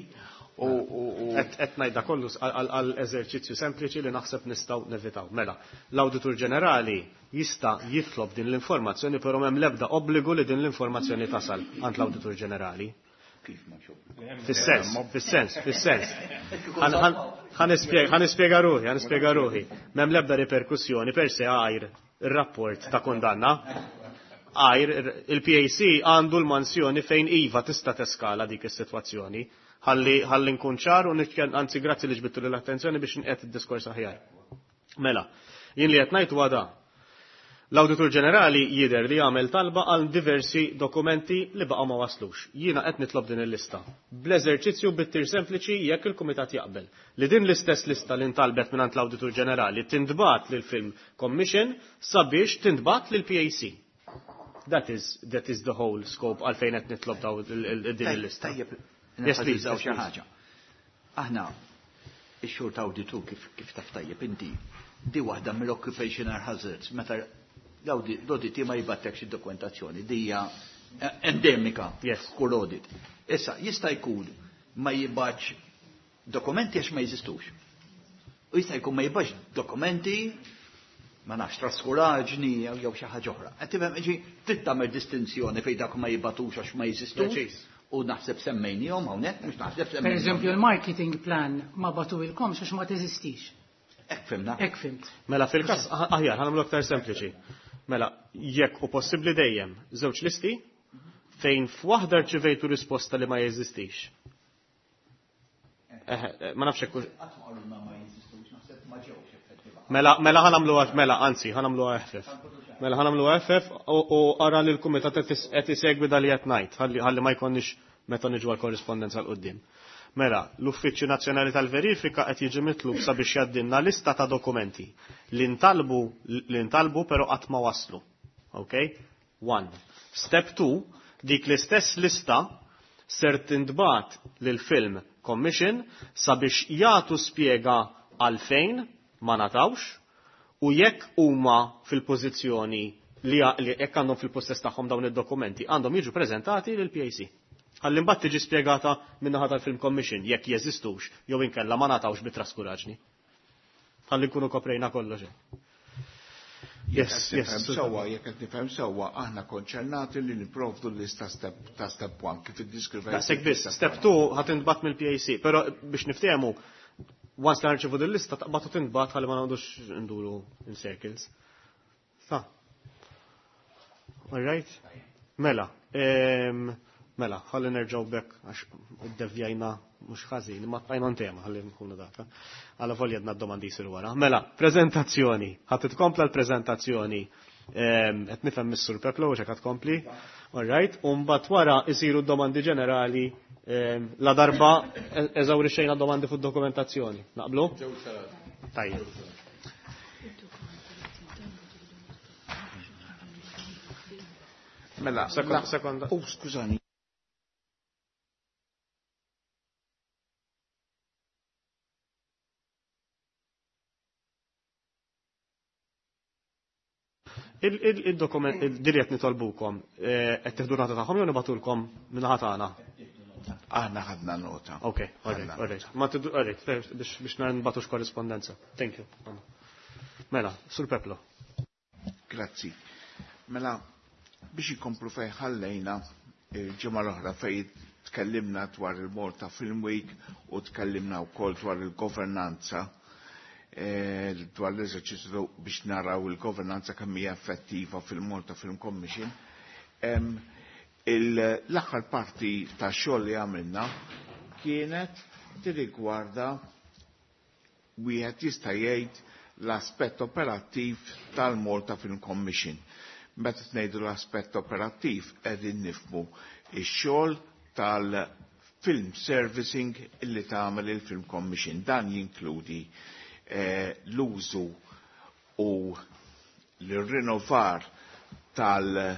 Qed ngħidha kollu għal eżerċizzju sempliċi li naħseb nistgħu nevitaw. Mela, l-Awditur Ġenerali jista' jitlob din l-informazzjoni, però m'hemm l-ebda obbligu li din l-informazzjoni tasal għand l-Awditur Ġenerali. Fis-sens, fis-sens, fis-sens. Ħa nispjega ruħi, ħa nispjega ruħi. M'hemm l-ebda riperkussjoni per se għajr ir-rapport ta' kondanna. Għajr il-P A C għandu l-mansjoni fejn iva tista' teskala dik is-sitwazzjoni. Ħalli ħalli nkun ċar u nitkellem, anzi grazzi li ġbittu l-attenzjoni biex nqiegħed id-diskors aħjar. Mela, jien li qed ngħid huwa da. L-Awditur Ġenerali jidher li jagħmel talba għal diversi dokumenti li baqgħu ma waslux. Jiena qed nitlob din il-lista. Bl-eżerċizzju bit-tir sempliċi jekk il-Kumitat jaqbel li din l-istess lista li ntalbet mingħand l-Awditur Ġenerali tintbagħat lil Film Commission sabiex tintbagħat lil P A C. That is, that is the whole scope għalfejn qed nitlob daw din il-lista. Tajjeb, Yes, please. Xi ħaġa. Aħna ix-xogħol ta' awditu kif kif taf tajjeb inti di waħda mill-occupational hazards meta l-audit ma jibgħatlekx id-dokumentazzjoni, di hija endemika kull audit. Issa jista' jkun ma jibgħatx dokumenti għax ma jeżistux. U jista' jkun ma jibgħatx dokumenti ma nafx traskuraġni jew xi ħaġa oħra. Qed tifhem ġi trid tagħmel distinzjoni fejn dak ma jibatux għax ma jeżistux. U naħseb semmejnihom hawnhekk mhux naħseb Per semmejnihom. eżempju, il-marketing plan ma batuilkomx għax ma teżistix. Hekk fhimna. Hekk fhimt. Mela fil-każ aħjar ħa nagħmlu aktar sempliċi. Mela jekk hu possibbli dejjem żewġ listi fejn f'waħda rċivejtu risposta li ma jeżistix. Eh, ma nafx hekk Qatt ma qalulna ma jeżistux, naħseb ma ġewx effettiva. Mela, mela ħa nagħmlu mela, anzi, ħa nagħmlu eħfef. Mela ħa nagħmlu eħfef u ara li l-kumitat qed isegwi dal li qed ngħid, ħalli ma jkollniex meta niġu għall-korrispondenza 'l quddiem. Mela, l-Uffiċċju Nazzjonali tal-Verifika qed jiġi mitlub sabiex jgħaddilna lista ta' dokumenti li ntalbu li ntalbu però qatt ma waslu. Okay? One. Step two, dik l-istess lista ser tintbagħat lil Film Commission sabiex jagħtu spjega għalfejn ma ngħatawx u jekk huma fil-pożizzjoni li jekk għandhom fil-possess tagħhom dawn id-dokumenti għandhom jiġu preżentati lil P A C. Ħalli mbagħad tiġi spjegata min-naħa tal-Film Commission jekk jeżistux jew inkella ma ngħatawx bi traskuraġni. Ħalli nkunu koprejna kollox. Yes, yes. Sewwa, jekk qed nifhem sewwa, aħna konċernati li nipprovdu l-lista step ta' step one kif iddiskrivejt. Daqshekk biss, step two ħa tintbagħat mill-P A C, però biex niftehmu, once li nirċevu din lista taqbad u tintbagħat ħalli ma noqogħdux nduru in circles. Sa. All right? Mela, em, mela, ħalli nerġgħu back għax iddevjajna mhux ħażin, imma bqajna tema ħalli nkunu daka. Għala volja għedna d-domandi jsiru wara. Mela, preżentazzjoni. Ħa titkompla l-preżentazzjoni. Em, Qed nifhem Missur Peplo u x'hekk tkompli. All right, u mbagħad wara isiru d-domandi ġenerali em, la darba eżawrixxejna domandi fuq dokumentazzjoni. Naqblu? Tajjeb. Mela, Sekonda, la- sekonda. Oh, skużani. Il-dokument, il-dirjet nitolbukom, eh, qed tieħdu nota tagħhom jew nibagħtulkom min-naħa tagħna? Aħna ħadna nota. Ok, all right, all right. Ma tiddu, all right, fair, biex biex nbatux korrispondenza. Thank you. Mela, Sur Peplo. Grazzi. Mela, biex ikomplu fej ħallejna il-ġimgħa l-oħra fej tkellimna dwar il-Malta Film Week u tkellimna wkoll dwar il-governanza eh, dwar l-eżerċizzju biex naraw il-governanza kemm hija effettiva fil-Malta Film Commission. Em, il- L-aħħar parti ta' xogħol li għamilna kienet tirrigwarda, wieħed jista' jgħid, l-aspett operattiv tal-Malta Film Commission. Meta ngħidu l-aspett operattiv qegħdin nifhmu ix-xogħol tal-film servicing illi tagħmel il-Film Commission. Dan jinkludi eh, l-użu u l-rinnovar tal-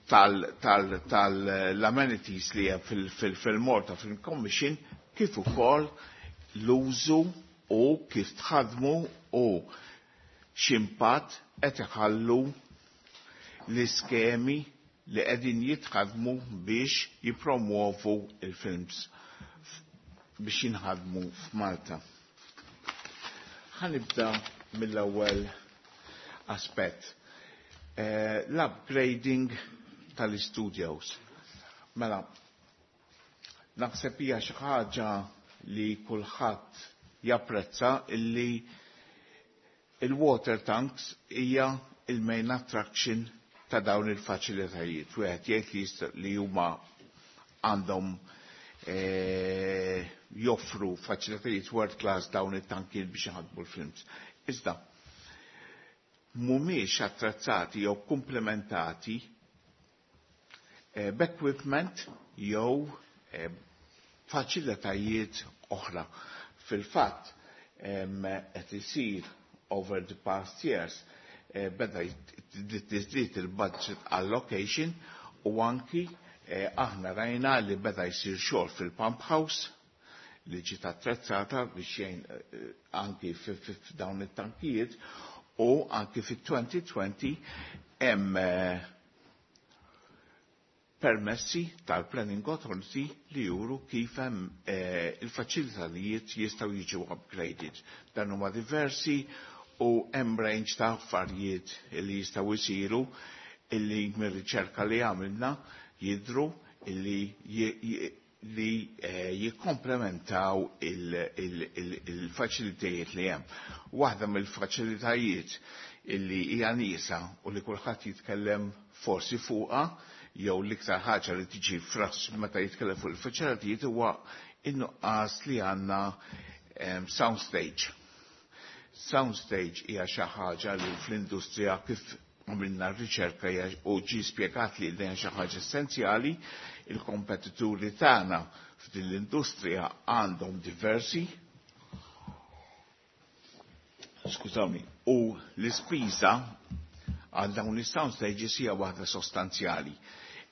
tal tal tal-amenities li hemm fil-Malta Film Commission, kif ukoll l-użu u kif tħadmu u x'impatt qed iħallu l-iskemi li qegħdin jitħadmu biex jippromuovu il-films biex jinħadmu f'Malta. Ħa nibda mill-ewwel aspett. Eh, L-upgrading tal-studios. Mela, naħseb hija xi ħaġa li kulħadd japprezza illi il-water tanks hija il-main attraction ta' dawn il-faċilitajiet. Wieħed jgħid li jista- li huma għandhom eh, joffru faċilitajiet world class dawn it-tankijiet biex iħadmu l-films. Iżda, mhumiex attrezzati jew komplementati eh, b'equipment jew eh, faċilitajiet oħra. Fil-fatt, qed isir over the past years eh, beda tiżdied il-budget allocation u anki eh, aħna rajna li beda jsir xogħol fil-pump house li ġiet attrezzata biex jgħin eh, anki f'dawn it-tankijiet u anki fit-elfejn u għoxrin hemm permessi tal-Planning Authority li juru kif hemm eh, il-faċilitajiet jistgħu jiġu upgraded. Dan huma diversi U hemm range ta' affarijiet li jistgħu jsiru illi mir-riċerka li għamilna jidru illi li eh, jikkomplementaw il-faċilitajiet li hemm. Waħda mill-faċilitajiet illi hija nieqsa u li kulħadd jitkellem forsi fuqha jew l-iktar ħaġa li tiġi fras meta jitkellem fuq il-faċilitajiet huwa in-nuqqas li għandna soundstage. Soundstage hija xi ħaġa li fl-industrija kif għamilna r-riċerka u ġi spjegat li din xi ħaġa essenzjali, il-kompetituri tagħna f'din l-industrija għandhom diversi skużawni, u l-ispiża għal dawn is-sound stages hija waħda sostanzjali.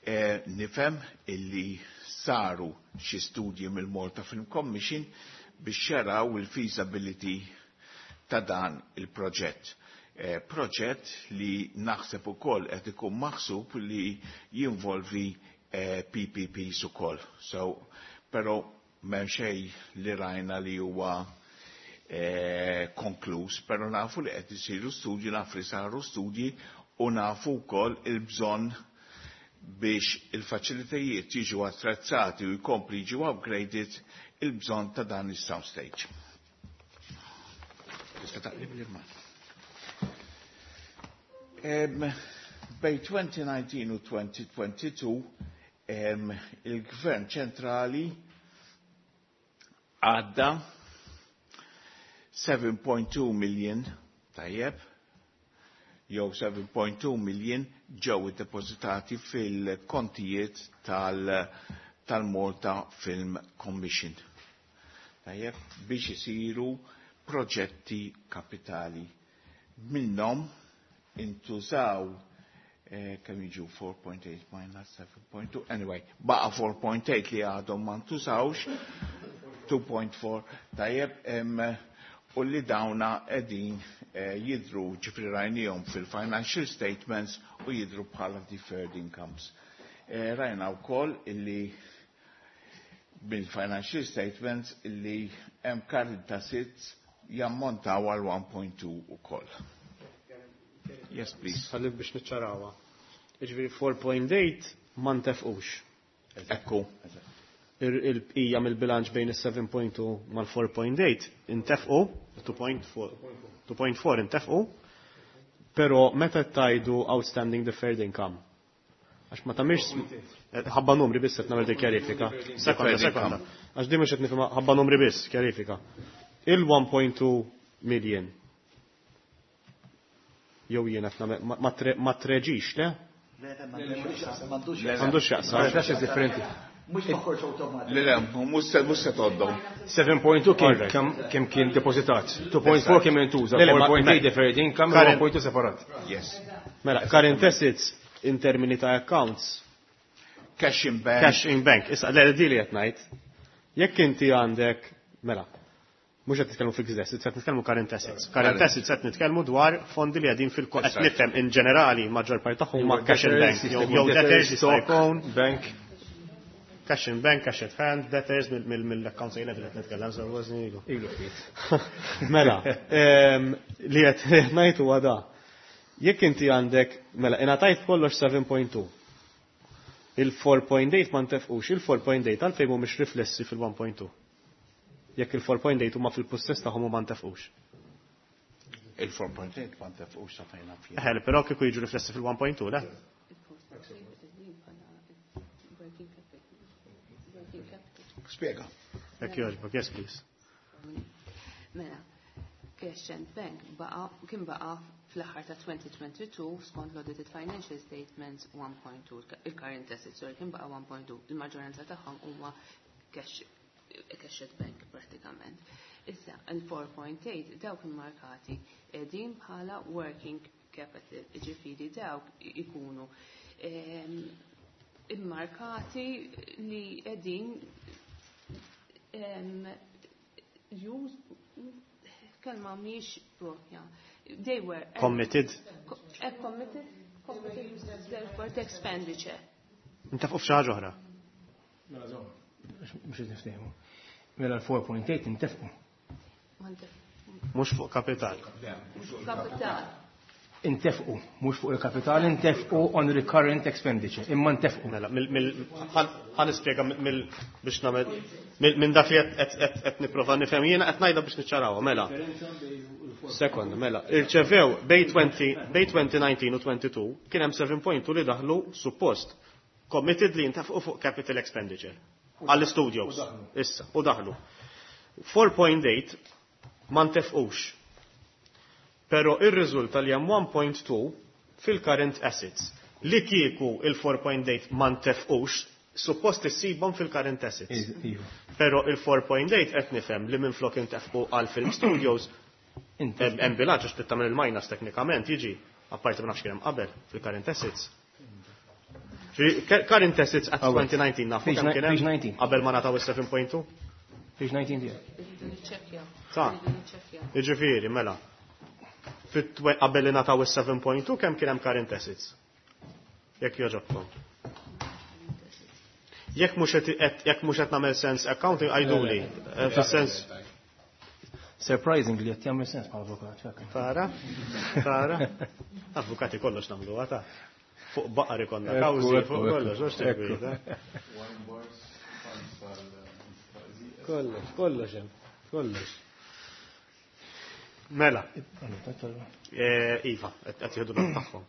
E, nifhem illi saru xi studji mill-Malta Film Commission biex jaraw il-feasibility ta' dan il-proġett. E, proġett li naħseb ukoll qed ikun maħsub li jinvolvi e, P P Ps ukoll. So, però m'hemm xejn li rajna li huwa e, konkluż, però nafu li qed isiru studji, nafu li saru studji u nafu wkoll il-bżonn biex il-faċilitajiet jiġu attrezzati u jkompli jiġu upgraded il-bżonn ta' dan is-soundstage. Tista' taqlib li ma. Bej twenty nineteen u twenty twenty-two il-Gvern ċentrali għadda seven point two million tajjeb jew seven point two million ġew iddepożitati fil-kontijiet tal, tal-Malta Film Commission. Tajjeb, biex isiru proġetti kapitali. Minnhom intużaw eh, kemm jiġu four point eight minus seven point two, anyway, baqa four point eight li għadhom ma ntużawx, two point four, tajjeb, em, u li dawna qegħdin eh, jidru ġifri rajnihom fil-financial statements u jidru bħala deferred incomes. Eh, rajna wkoll illi bil-financial statements illi hemm current assets jammontaw għal one point two ukoll. Yes, please. Ħalli biex niċċarawha. Jiġifieri four point eight ma ntefqux. Ekku. Il-bqija mill-bilanċ bejn is-seven point two mal-four point eight intefqu, two point four, two point four intefqu, però meta tajdu outstanding deferred income. Għax ma tagħmilx ħabba numri biss qed nagħmel dik kjarifika. Sekonda, sekonda. Għax di mhux qed nifhimha ħabba numri biss, kjarifika. Il one point two million. Jew jiena qed nagħmel ma tre-, ma treġix, le? Le, le, m'għandux M'għandux x'jaqsam. M'għandux differenti. Mhux toħroġ awtomatik. Le, le, mhux se, mhux se tgħoddhom. seven point two kien All right. kemm, kemm kien depożitat. two point four kemm intuża, Le, le, ma- four point eight ma- deferred income, Current one point two separat. Yes. Mela, current assets in termini ta' accounts. Cash in bank. Cash in bank. Issa, le, di li qed ngħid. Jekk inti għandek, mela, mhux qed nitkellmu fixed assets, qed nitkellmu current assets. Current Current. assets qed nitkellmu dwar fondi li qegħdin fil-ko-, qed Exactly. nifhem in ġenerali maġġor parti tagħhom huma cash in bank, jew jew Debtors, debtors jista' stock, jkun. bank. Cash in bank, cash at hand, debtors, mill-accounts A level qed nitkellem, so wasni ilu. Ilu ftit. Mela, ehm, li qed ngħid huwa da. Jekk inti għandek, mela, ingħatajt kollox seven point two. Il-four point eight ma ntefqux, il-four point eight għalfejn mhumiex riflessi fil-one point two. Jekk il-four point eight huma fil-pussess tagħhom u ma ntefqux. Il-four point eight ma ntefqux sa fejn naf jien. Eħe, però kieku jiġu riflessi fil-one point two, le? Spiega. Jekk jogħġbok, yes please. Mela, Cash and Bank baqa, kien baqa fl-aħħar ta' twenty twenty-two skont l-audited financial statements one point two, il-current assets, sorry, kien baqa one point two, il-maġġoranza tagħhom huma cash, cash at bank pratikament. Issa, il-four point eight dawk immarkati qegħdin bħala working capital, jiġifieri dawk ikunu, ehm, immarkati li qegħdin, ehm, use, kelma mhix propja. They were committed. Co-, eh, committed, committed for the expenditure. Inta fuq xi ħaġa oħra. Mela żomm, mhux qed niftehmu. Mela l-four point eight intefqu. Ma ntef-, Mhux fuq kapital. Kapital. Intefqu, mhux fuq il-kapital, intefqu on recurrent expenditure, imma ntefqu. Mela, ħa nispjega biex nagħmel minn dak li qed nipprova nifhem jiena qed ngħidha biex niċċarawha, mela. Sekond, mela, irċevew bejn twenty nineteen u twenty-two kien hemm seven point two li daħlu suppost committed li jintefqu fuq capital expenditure għall-studios. Issa, u daħlu. four point eight ma ntefqux. Pero ir-riżulta li hemm one point two fil-current assets. Li kieku il-four point eight ma ntefqux, suppost issibhom fil-current assets. Iva. Pero il-four point eight qed nifhem li minflok intefqu għal film studios hemm bilanċ, għax trid tagħmel il-minus teknikament jiġi, apparti ma nafx kien hemm qabel fil-current assets. Ġifieri, current assets at twenty nineteen nafu Page kemm kien page hemm nineteen. qabel ma nataw is-seven point two. Page nineteen tiegħek. Irridu niċċekkjaw. Ta' Irridu niċċekkjaw. Jiġifieri, mela. Fit- Qabel li nataw is-seven point two kemm kien hemm current assets? Jekk jogħġobkom. Jekk mhux qed jekk mhux qed nagħmel sens accounting, għiduli. Eh, Fis-sens Surprisingly, qed jagħmel sens bħala avukat. Tara? Tara? Avukati kollox nagħmlu għata. Fuq baqar ikonna Ekku, kawżi, ekku, fuq ekku. kollox, mhux Ekku. tikwita. Kollox, kollox hemm, kollox. Mela, eh, iva, qed jieħdu l tagħhom.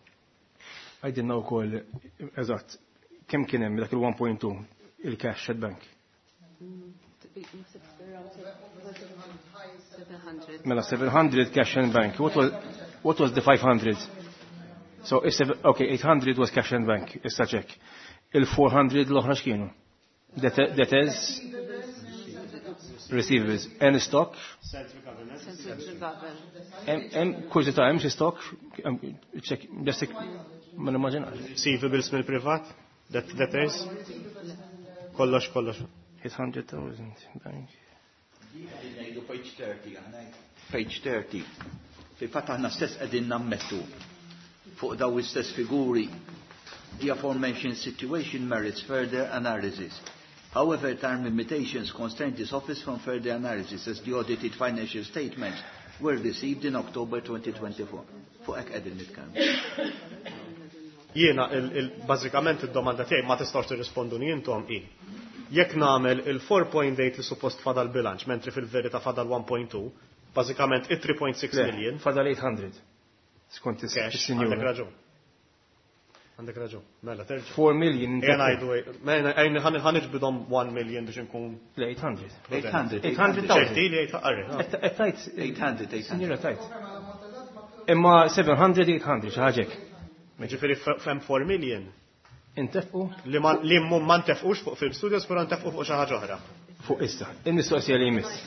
Għidilna wkoll, eżatt, kemm kien hemm dak il-one point two il-cash at bank? seven hundred. Mela seven hundred cash and bank. What was, what was the five hundred? So, is seven, okay, eight hundred was cash and bank, issa check. Il-four hundred l-oħra x'kienu? Debtors, receivables, any stock? Central government. Central government. Hemm hemm kurżità, hemm xi stock? Hemm- Check, just ma nimmaġinax. Receivables mill-privat, det- debtors, kollox, kollox. eight hundred thousand bank. Ngħidu page thirty, aħna page thirty. Fil-fatt aħna stess qegħdin nammettu fuq daw istess figuri. The aforementioned situation merits further analysis. However, time limitations constrain this office from further analysis as the audited financial statements were received in October twenty twenty-four. Fuq hekk qegħdin nitkellmu. Jiena, il- il- bażikament id-domanda tiegħi, ma tistgħux tirrisponduni intom, hi. Jekk nagħmel il-four point eight li suppost fadal bilanċ, mentri fil-verità fadal one point two, bażikament it-three point six Le, million fadal eight hundred. Skont cash, għandek is-sinjura. raġun. Għandek raġun. Mela, terġa'. four million. Ejja ngħidu, mela, ejja ħa niġbidhom one million biex inkun Le, eight hundred. eight hundred. eight hundred thousand. ċerti li eight arri. Qed tajt. eight hundred, eight hundred. Sinjura tajt. Imma seven hundred, eight hundred, xi ħaġa hekk. Ġifieri hemm four million Intefqu li ma li mhum ma ntefqux fuq Film Studios, però ntefqu fuq xi ħaġa oħra. Fuq issa. Il-mistoqsija li jmiss.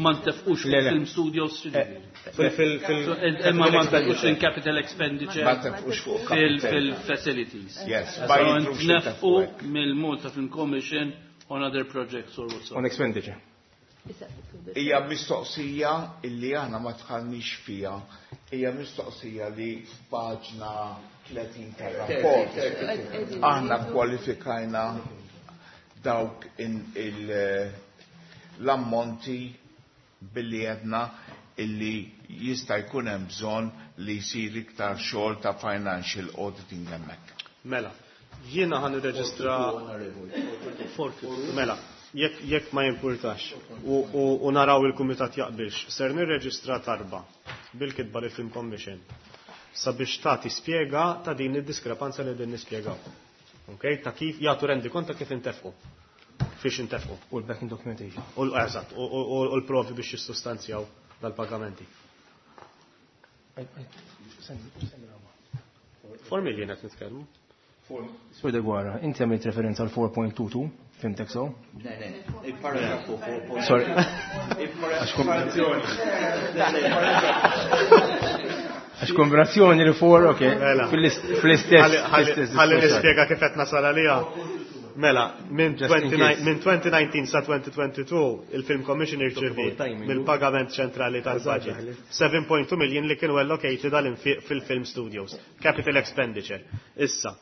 Ma ntefqux Le, le. film studios. Fil fil fil Imma ma ntefqux in capital expenditure. Ma ntefqux fuq fil- capital. Fil-facilities. Yes, So ma jidhrux ntnefqu intefqu. mill-Malta Film Commission on other projects or whatsoever. On expenditure. Hija mistoqsija illi aħna ma dħalniex fiha, hija mistoqsija li f'paġna tletin tar-rapport aħna kwalifikajna dawk in il- l-ammonti billi għedna illi jista' jkun hemm bżonn li jsir iktar xogħol ta' financial auditing hemmhekk. Mela, jiena ħa nirreġistra. Mela, jekk jekk ma jimpurtax u, u, u naraw il-kumitat jaqbilx, ser nirreġistra talba bil-kitba li Film Commission sabiex tagħti spjega ta' din id-diskrepanza li din nispjegaw. Okay? Ta' kif jagħtu rendikont ta' kif intefqu. Fiex intefqu. U l-backing documentation. U l- eżatt, u, u, u l-provi biex jissustanzjaw dal-pagamenti. four million qed nitkellmu. Sur Degwara, inti għamilt referenza għal four point two two, fhimtek so? Le, le, il-paragrafu four. Sorry. Għax kombinazzjoni. Għax kombinazzjoni li four, ok. Mela. Fl-istess. Ħalli ħalli nispjega kif qed nasal għaliha. Mela, minn Just in twenty-nine case. minn twenty nineteen sa twenty twenty-two il-Film Commission irċevi timing. mill-pagament ċentrali tal-budget seven point two million li kienu allocated għal-infiq fil-Film Studios, capital expenditure. Issa,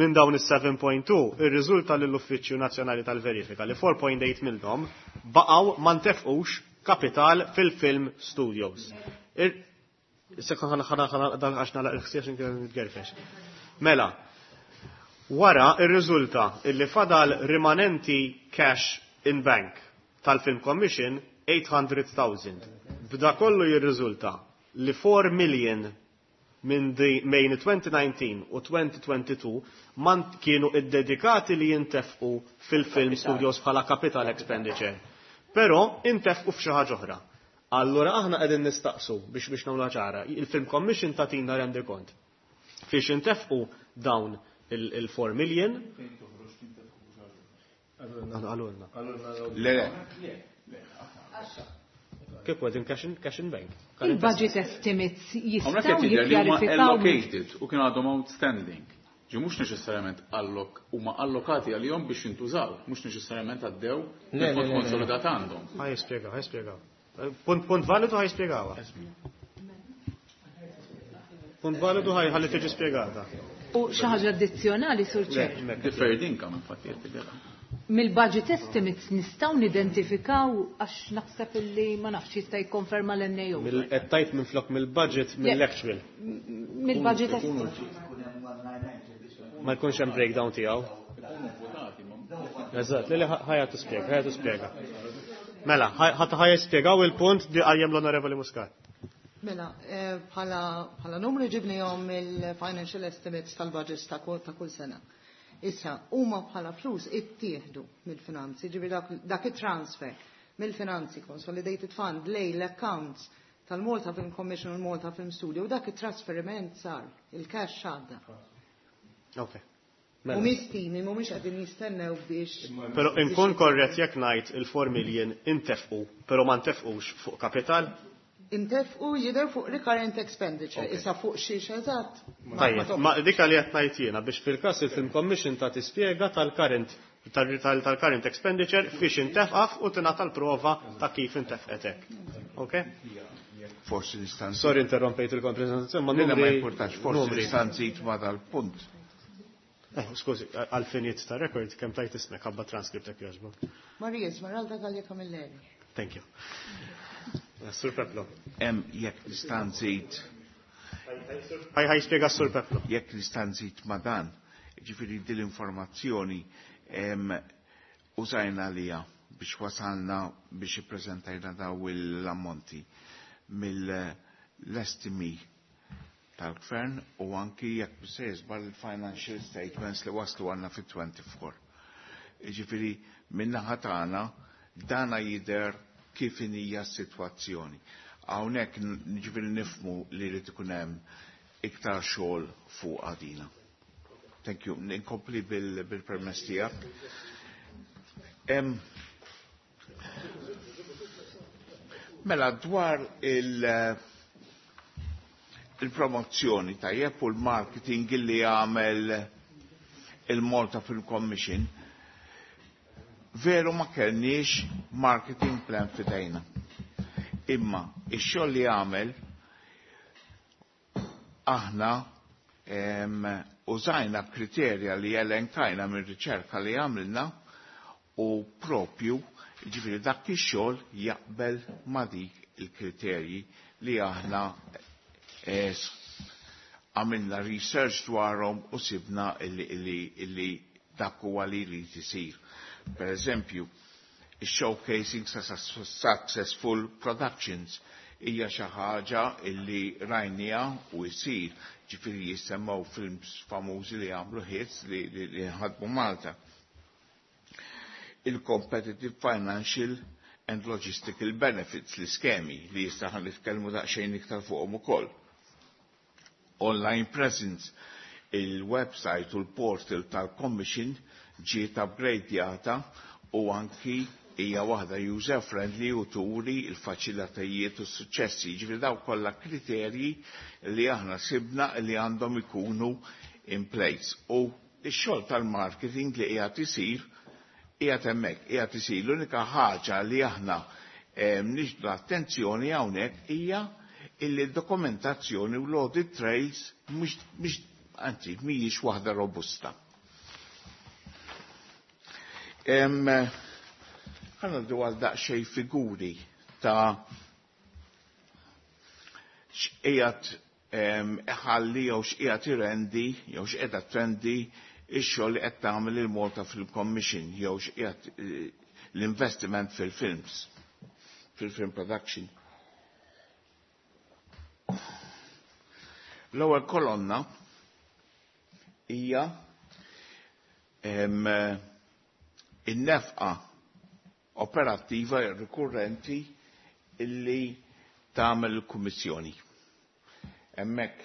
minn dawn is-seven point two irriżulta lill-Uffiċċju Nazzjonali tal-Verifika li four point eight minnhom baqgħu ma ntefqux kapital fil-Film Studios. Sekon ħana ħana għax nagħlaq il-ħsiex inkella nitgerfex. Mela, wara ir-riżulta illi fadal rimanenti cash in bank tal-Film Commission eight hundred thousand. B'da kollu jirriżulta li four million minn bejn twenty nineteen u twenty twenty-two man kienu iddedikati li jintefqu fil-Film Studios bħala capital expenditure. Però intefqu f'xi ħaġa oħra. Allura aħna qegħdin nistaqsu biex biex nagħmluha ċara. Il-Film Commission tagħtina rendi kont. Fiex intefqu dawn il-four million. Għalulna. Le, le. Kif għedin cash in, cash in bank? Il-budget estimates jistgħu Hawnhekk qed jidher li huma jikkjarifikaw allocated u kien għadhom outstanding. Ġi mhux neċessarjament allok huma allokati għalihom biex jintużaw, mhux neċessarjament għaddew Le, le, il-fond le, le. konsolidat għandhom. Ħaj jispjega, ħaj jispjega. Punt, punt validu ħaj jispjegawha. Punt validu ħaj ħalli tiġi spjegata. U xi ħaġa addizzjonali, Sur Chair. Deferred income infatti qed tidher. Mill-budget estimates nistgħu nidentifikaw għax naħseb illi ma nafx jista' jikkonferma l-N A O. Mill-, qed tajt minflok mill-budget mill-actual. Mill-budget estimates. Ma jkunx hemm breakdown tiegħu. Eżatt, li ħajja tispjega, ħajja tispjega. Mela, ħadd ħajja jispjegaw il-punt li qajjem l-Onorevoli Muscat. Mela, eh, bħala, bħala numri ġibnihom il-financial estimates tal-budgets ta' kull, ta' kull sena. Issa, huma bħala flus ittieħdu mill-finanzi, ġifieri dak, dak it-transfer mill-finanzi Consolidated Fund lej l-accounts tal-Malta Film Commission u l-Malta Film Studio, u dak it-trasferiment sar, il-cash għadda. Ok. U Mela. mistimi mhumiex qegħdin jistennew biex Però inkun korrett jekk ngħid il-four million intefqu, però ma ntefqux fuq kapital? Intefqu jidher fuq recurrent expenditure, Ok. issa fuq xiex eżatt. Ma- Tajjeb, ma ma dik li qed ngħid jiena biex fil-każ il-Film Commission ta' tispjega tal-current tal-, tal-, tal-current expenditure fiex intefqaf u tingħata l-prova ta' kif intefqet hekk. Ok? Forsi nista' nżid. Sorry interrompejt il-prezentazzjoni, ma Le, le, ma numri importax, forsi numri. nista' nżid ma dal-punt. Eh, skużi, għal-finijiet ta' record kemm tajt ismek ħabba transcript hekk jogħġbok. Maria Esmeralda Gallia Camilleri. Thank you. Sur Peplo. Hemm jekk nista' nżid. Ħaj ħaj spjega Sur Peplo. Jekk nista' nżid ma' dan, ġifieri din l-informazzjoni em, użajna lija biex wasalna biex ippreżentajna daw l-ammonti mill-estimi tal-gvern u anki jekk se jiżbal il-financial statements li waslu għandna fit-twenty-four. Ġifieri min-naħa tagħna dana jidher kif hija s-sitwazzjoni. Hawnhekk n-, ġifieri nifhmu li jrid ikun hemm iktar xogħol fuq għadina. Thank you. Ninkompli bil-, bil-permess tiegħek. Em, mela dwar il-, il-promozzjoni tajjeb u l-marketing li għamel il-Malta Film Commission, veru ma kellniex marketing plan fidejna. Imma ix-xogħol li għamel aħna, em, użajna kriterja li elenkajna mir-riċerka li għamilna u propju ġifieri dak ix-xogħol jaqbel ma' dik il-kriterji li aħna eh, għamilna research dwarhom u sibna illi, illi, illi dak huwa li jrid isir. Per eżempju, showcasing successful productions hija xi ħaġa illi rajnija u jsir, ġifieri jissemmew films famużi li għamlu hits li, li, li nħadmu Malta. Il-competitive financial and logistical benefits, l-iskemi li jistaħan nitkellmu daqsxejn iktar fuqhom ukoll. Online presence, il-website u l-portal tal-Commission ġiet upgradjata u anki hija waħda user friendly u turi il-faċilitajiet u s-suċċessi. Ġifieri daw kollha kriterji li aħna sibna li għandhom ikunu in place. U x-xogħol tal-marketing li qiegħed isir qiegħed hemmhekk, qiegħed isir. L-unika ħaġa li aħna, eh, nixbdu l-attenzjoni hawnhekk hija illi d-dokumentazzjoni u l-audit trails mhux, mhux, anzi, mhijiex waħda robusta. Em, Ħa ngħaddu għal daqsxejn figuri ta' x'qiegħed iħalli jew x'qiegħed irendi jew x'qiegħda trendi ix-xogħol li qed tagħmel il-Malta Film Commission jew x'qiegħed eh, l-investiment fil-films, fil-film production. L-ewwel kolonna hija in-nefqa operattiva rikurrenti illi tagħmel il-Kummissjoni. Hemmhekk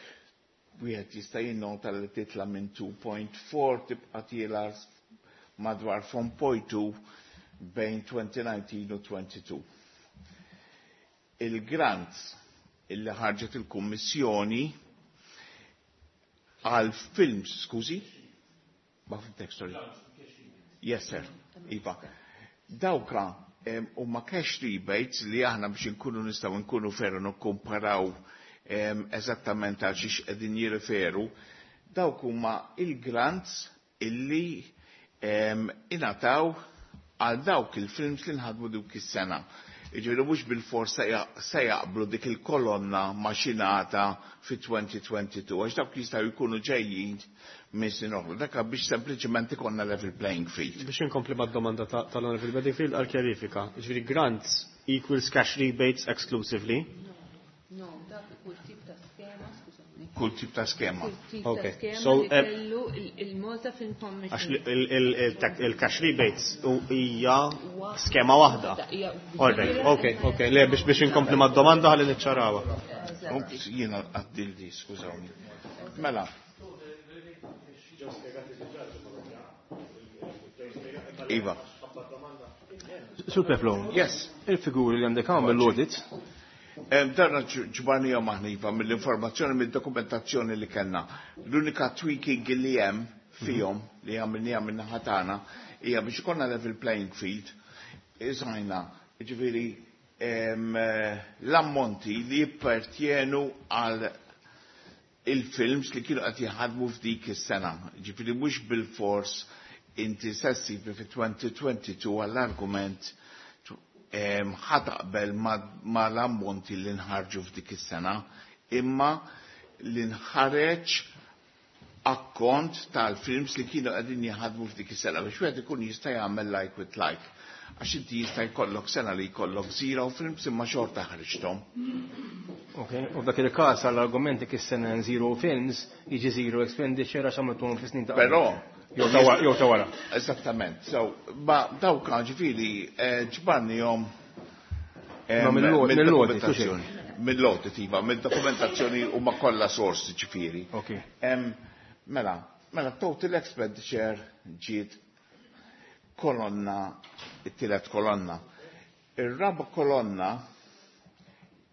wieħed jista' jinnota li titla' minn two point four tibqa' tiela madwar four point two bejn twenty nineteen u twenty-two. Il-grants illi ħarġet il-Kummissjoni għal films, skużi? Ma fimtek, sorry. Yes, sir. Iva. Dawka huma cash rebates li aħna biex inkunu nistgħu nkunu ferru nikkumparaw eżattament għal xiex qegħdin jirriferu, dawk huma il-grants illi ingħataw għal dawk il-films li nħadmu dik is-sena. Jiġifieri mhux bil-fors se jaqblu dik il-kolonna ma' xi ngħata fi twenty twenty-two, għax dawk jistgħu jkunu ġejjin minn snin oħra. Dak biex sempliċement ikollna level playing field. Biex inkompli mad-domanda tal-Honorable Bedingfield għal kjarifika. Jiġifieri grants equals cash rebates exclusively? No, dak kull tip ta' skema, skużawni. Kull tip ta' skema. Kull tip ta' Okay. skema So, li eh, kellu il-, il-Malta Film Commission. Għax il-, il-, il-, il-cash rebates hija skema waħda. Hija All right, okay, okay. Le, biex, biex inkompli mad-domanda ħalli niċċarawha. Ups, jiena għaddildi, skużawni. Mela. Iva. Sur Peplo. Yes. Il-figuri li għandek hawn mill-audit. Darna ġbarnija maħna, Iva, mill-informazzjoni, mill-dokumentazzjoni li kellna. L-unika tweaking li hemm fihom li għamilniha minn naħa tagħna hija biex ikollna level playing field. Iżajna, ġifieri, l-ammonti li jippertjenu għal il-films li kienu qed jaħdmu f'dik is-sena. Ġifieri mhux bil-fors inti se ssib fi twenty twenty-two għall-argument ħataqbel ma l-ammonti li nħarġu f'dik is-sena, imma li nħareġ akkont tal-films li kienu qegħdin jaħdmu f'dik is-sena biex wieħed ikun jista' jagħmel like with like. Għax inti jista' jkollok sena li jkollok zero films imma xorta ħriġthom. Ok, u f'dak il-każ għall-argumenti kif sena zero films jiġi zero expenditure għax għamiltuhom fi snin ta' qabel. Però Jew ta' wara, jew ta' wara. Eżattament. So, ma dawk ġifieri, eh, ġbarnihom, eh, Ma mill-lodi, mill-lodi, mid-dokumentazzjoni. Mill-lodi, iva, mid-dokumentazzjoni huma kollha sorsi ġifieri. Ok. Em, mela, mela total expenditure ġiet kolonna, it-tielet kolonna. Ir-raba kolonna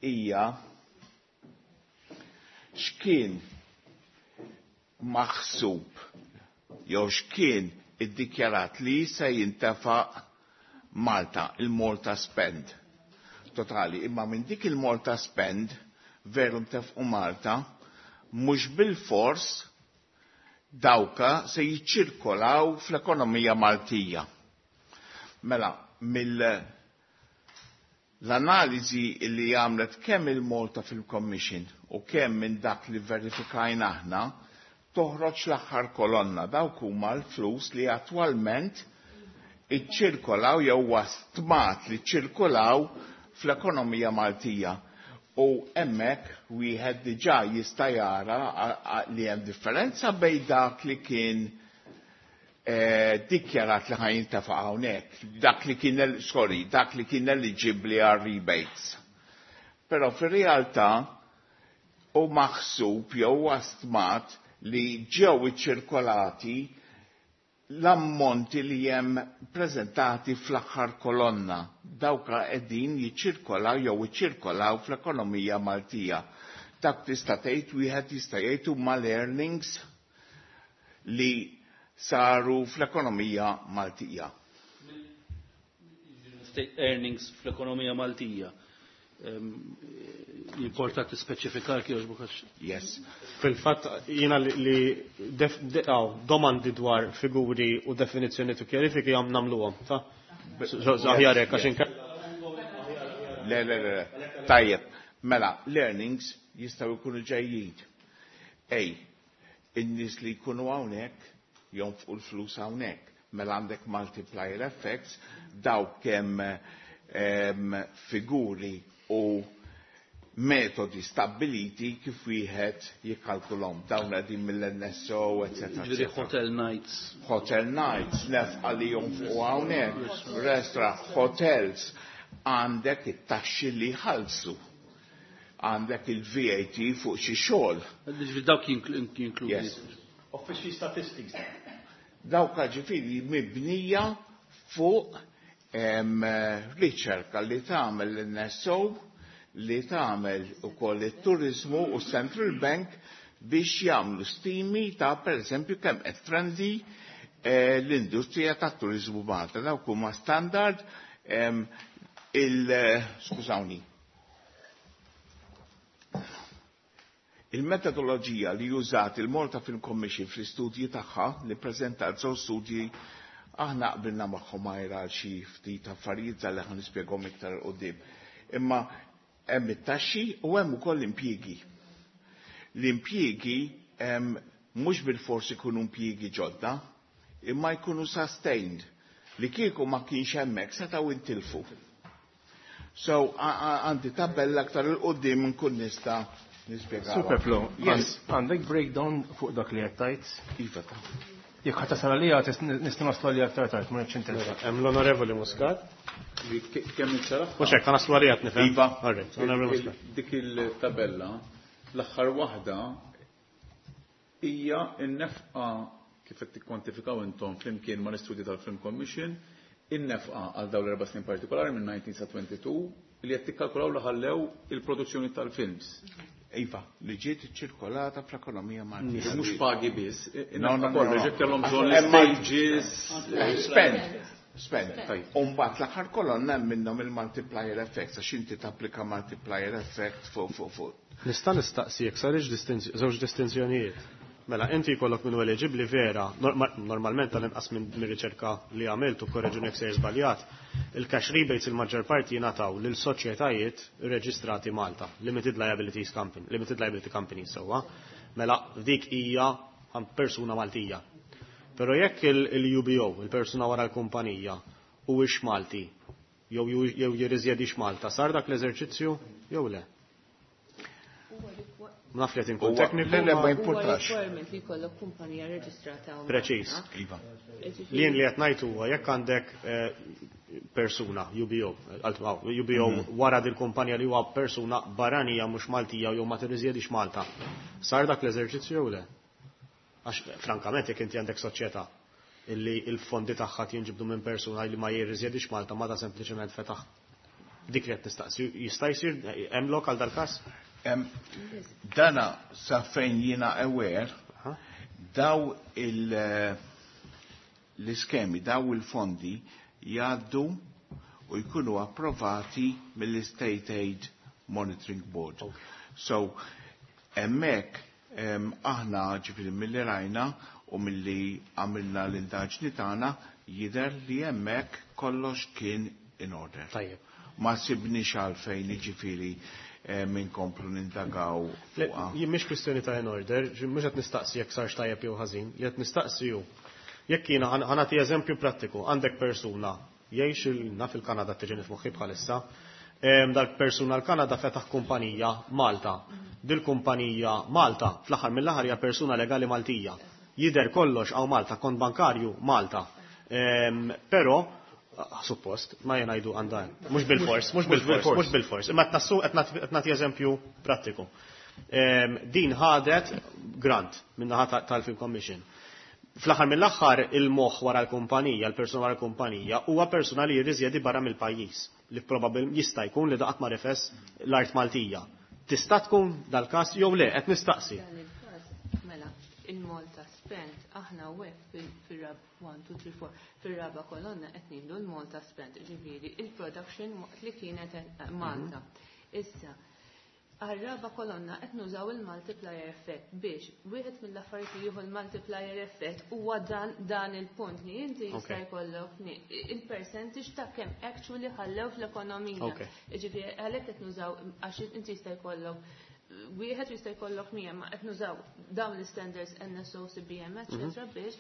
hija x'kien maħsub jew x'kien iddikjarat li se jintefaq Malta, il-Malta spend totali. Imma minn dik il-Malta spend veru ntefqu Malta, mhux bil-fors dawka se jiċċirkolaw fl-ekonomija Maltija. Mela, mill l-analiżi li għamlet kemm il-Malta Film Commission u kemm minn dak li verifikajna aħna, toħroġ l-aħħar kolonna. Dawk huma l-flus li attwalment iċċirkolaw jew stmat li ċirkolaw fl-ekonomija Maltija. U hemmhekk wieħed diġà jista' jara a-, a-, li hemm differenza bejn dak li kien, eh, dikjarat li ħa jintefa' hawnhekk, dak li kien el-, sorry, dak li kien eligibbli għal rebates. Però fir-realtà u maħsub jew stmat li ġew iċċirkolati l-ammonti li hemm preżentati fl-aħħar kolonna. Dawka qegħdin jiċċirkolaw jew iċċirkolaw fl-ekonomija Maltija. Dak tista' tgħid wieħed jista' jgħid huma l-earnings li saru fl-ekonomija Maltija. State earnings fl-ekonomija Maltija. Ehm, jimporta tispeċifikar kif jogħġbok għax. Yes. Fil-fatt jiena li, li def-, de-, aw, domandi dwar figuri u definizzjoni tu kjarifiki għam namluhom, ta? Aħjar hekk għax inkella. Le, le, le, le. Tajjeb, mela, l-earnings jistgħu jkunu ġejjin. Ej, in-nies li jkunu hawnhekk jonfqu l-flus hawnhekk. Mela għandek multiplier effects, dawk kemm em, figuri u metodi stabiliti kif wieħed jikkalkulhom. Dawn qegħdin mill-N S O, eccetera. Ġifieri hotel nights. Hotel nights, nefqa li jonfqu hawnhekk, restaurant, hotels, għandek it-taxxi li jħallsu. Għandek il-V A T fuq xi xogħol. Ġifieri dawk jinkludi. Yes. Official statistics. Dawk ġifieri mibnija fuq em, riċerka li tagħmel l-N S O, li tagħmel ukoll it-turizmu u Central Bank biex jagħmlu stimi ta' pereżempju kemm qed trendi eh, l-industrija tat-turizmu Malta. Dawk huma standard em, il skużawni. Il-metodoloġija li użat il-Malta Film Commission fl-istudji tagħha li preżentat żewġ studji, aħna qbilna magħhom għajra għal xi ftit affarijiet li ħa nispjegahom iktar 'il quddiem. Imma hemm it-taxxi u hemm ukoll impjiegi. L-impjiegi em, mhux bil-forsi jkunu impjiegi ġodda, imma jkunu sustained li kieku ma kienx hemmhekk setgħu intilfu. So għandi tabella aktar 'il quddiem nkun nista' nispjegaw. Superflow, Yes. għandek breakdown fuq dak li qed? Iva ta'. Jekk ħadd tasal għalija nista' naslu għalija aktar tard, ma nafx interess. Hemm l-Onorevoli Muscat. Kemm il-sara? Mhux hekk, naslu għalija nifhem. Iva. All right, Onorevoli Muscat. Dik il-tabella, l-aħħar waħda hija n-nefqa kif qed tikkwantifikaw intom flimkien ma' l-istudji tal-Film Commission, in-nefqa għal dawn l-erba' snin partikolari minn tnax sa tnejn u għoxrin li qed tikkalkulaw li ħallew il-produzzjoni tal-films. Iva, li ġiet ċirkolata fl-ekonomija Maltija. Mhux pagi biss, No, no, no, kollu no. ġiet kellhom bżonn Hemm stages. Spend. Spend. Umbagħad l-aħħar kolonna hemm minnhom il-multiplier effect, għax inti tapplika multiplier effect fuq fuq fuq. Nista' nistaqsi jekk sarix distinzj- żewġ distinzjonijiet. Mela, inti jkollok minn eliġibbli vera, norma- normalment tal-inqas minn minn riċerka li għamilt u korreġuni jekk sejr żbaljat, il-cash rebates il-maġġor parti jingħataw lil soċjetajiet reġistrati Malta, Limited Liabilities Company, Limited Liability Company sewwa. Mela, dik hija għan persuna Maltija. Però jekk il-U B O, il-persuna wara l-kumpanija, huwiex Malti, jew jew jirriżjedix Malta, sar dak l-eżerċizzju jew le? Naf li qed inkun Huwa- tekniku. Le, le, ma ma- Huwa importax. requirement li jkollok kumpanija reġistrata hawn Preċiż. Malta. Iva. Ġifieri- Li jien li qed ngħid huwa jekk għandek eh, persuna, U B O, għalt- aw, U B O wara dil kumpanija li huwa persuna barranija mhux Maltija jew ma tirriżjedix Malta. Sar dak l-eżerċizzju jew le? Għax frankament jekk inti għandek soċjetà illi il-fondi tagħha jinġibdu minn persuna li ma jirriżjedix Malta, ma da sempliċement fetaħ dik li qed nistaqsi. Jista' jsir hemm lok għal dal-każ? Em, Dana sa fejn jiena aware, daw il- l-iskemi, daw il-fondi jgħaddu u jkunu approvati mill-State Aid Monitoring Board. So, hemmhekk em, aħna ġifieri milli rajna u milli għamilna l-indaġni tagħna jidher li hemmhekk kollox kien in order. Tajjeb. Ma sibniex għalfejn ġifieri eh, minkomplu nindagaw Le, fuqha. jien mhix kwistjoni ta' in order, ġi- mhux qed nistaqsi jekk sarx tajjeb jew ħażin, li qed nistaqsi hu. Jekk jiena ħa nagħti eżempju prattiku, għandek persuna jgħix il- naf il-Kanada tiġini f'moħħi bħalissa, em, dal-persuna l-Kanada fetaħ kumpanija Malta. Dil-kumpanija Malta fl-aħħar mill-aħħar hija persuna legali Maltija. Jidher kollox hawn Malta, kont bankarju Malta. Em, Però ah, suppost, ma jgħidu għandha, mhux bil-fors, mhux bil-fors, mhux bil-fors. Imma qed qed nagħti eżempju prattiku. Em, Din ħadet grant min-naħa ta- tal-Film Commission. Fl-aħħar mill-aħħar il-moħħ wara l-kumpanija, l-persuna wara l-kumpanija, huwa persuna li jirriżjedi barra mill-pajjiż li probabil jista' jkun li daqat ma rifes l-art Maltija. Tista' tkun dal-każ jew le, qed nistaqsi. Dan il-każ, mela, il-Malta spent, aħna u fil-rab wieħed, tnejn, tlieta, erbgħa, fil-raba kolonna qed ngħidu l-Malta spent, ġifieri il-production waqt li kienet Malta. Issa, Għar-raba kolonna qed nużaw il-multiplier effect biex wieħed mill-affarijiet li jieħu l-multiplier effect huwa dan dan il-punt li inti jista' jkollok il-percentage ta' kemm actually ħallew fl-ekonomija. Jiġifieri għalhekk qed nużaw għax inti jista' jkollok wieħed jista' jkollok mija ma qed nużaw dawn l-standards N S O, C B M, eċetera, biex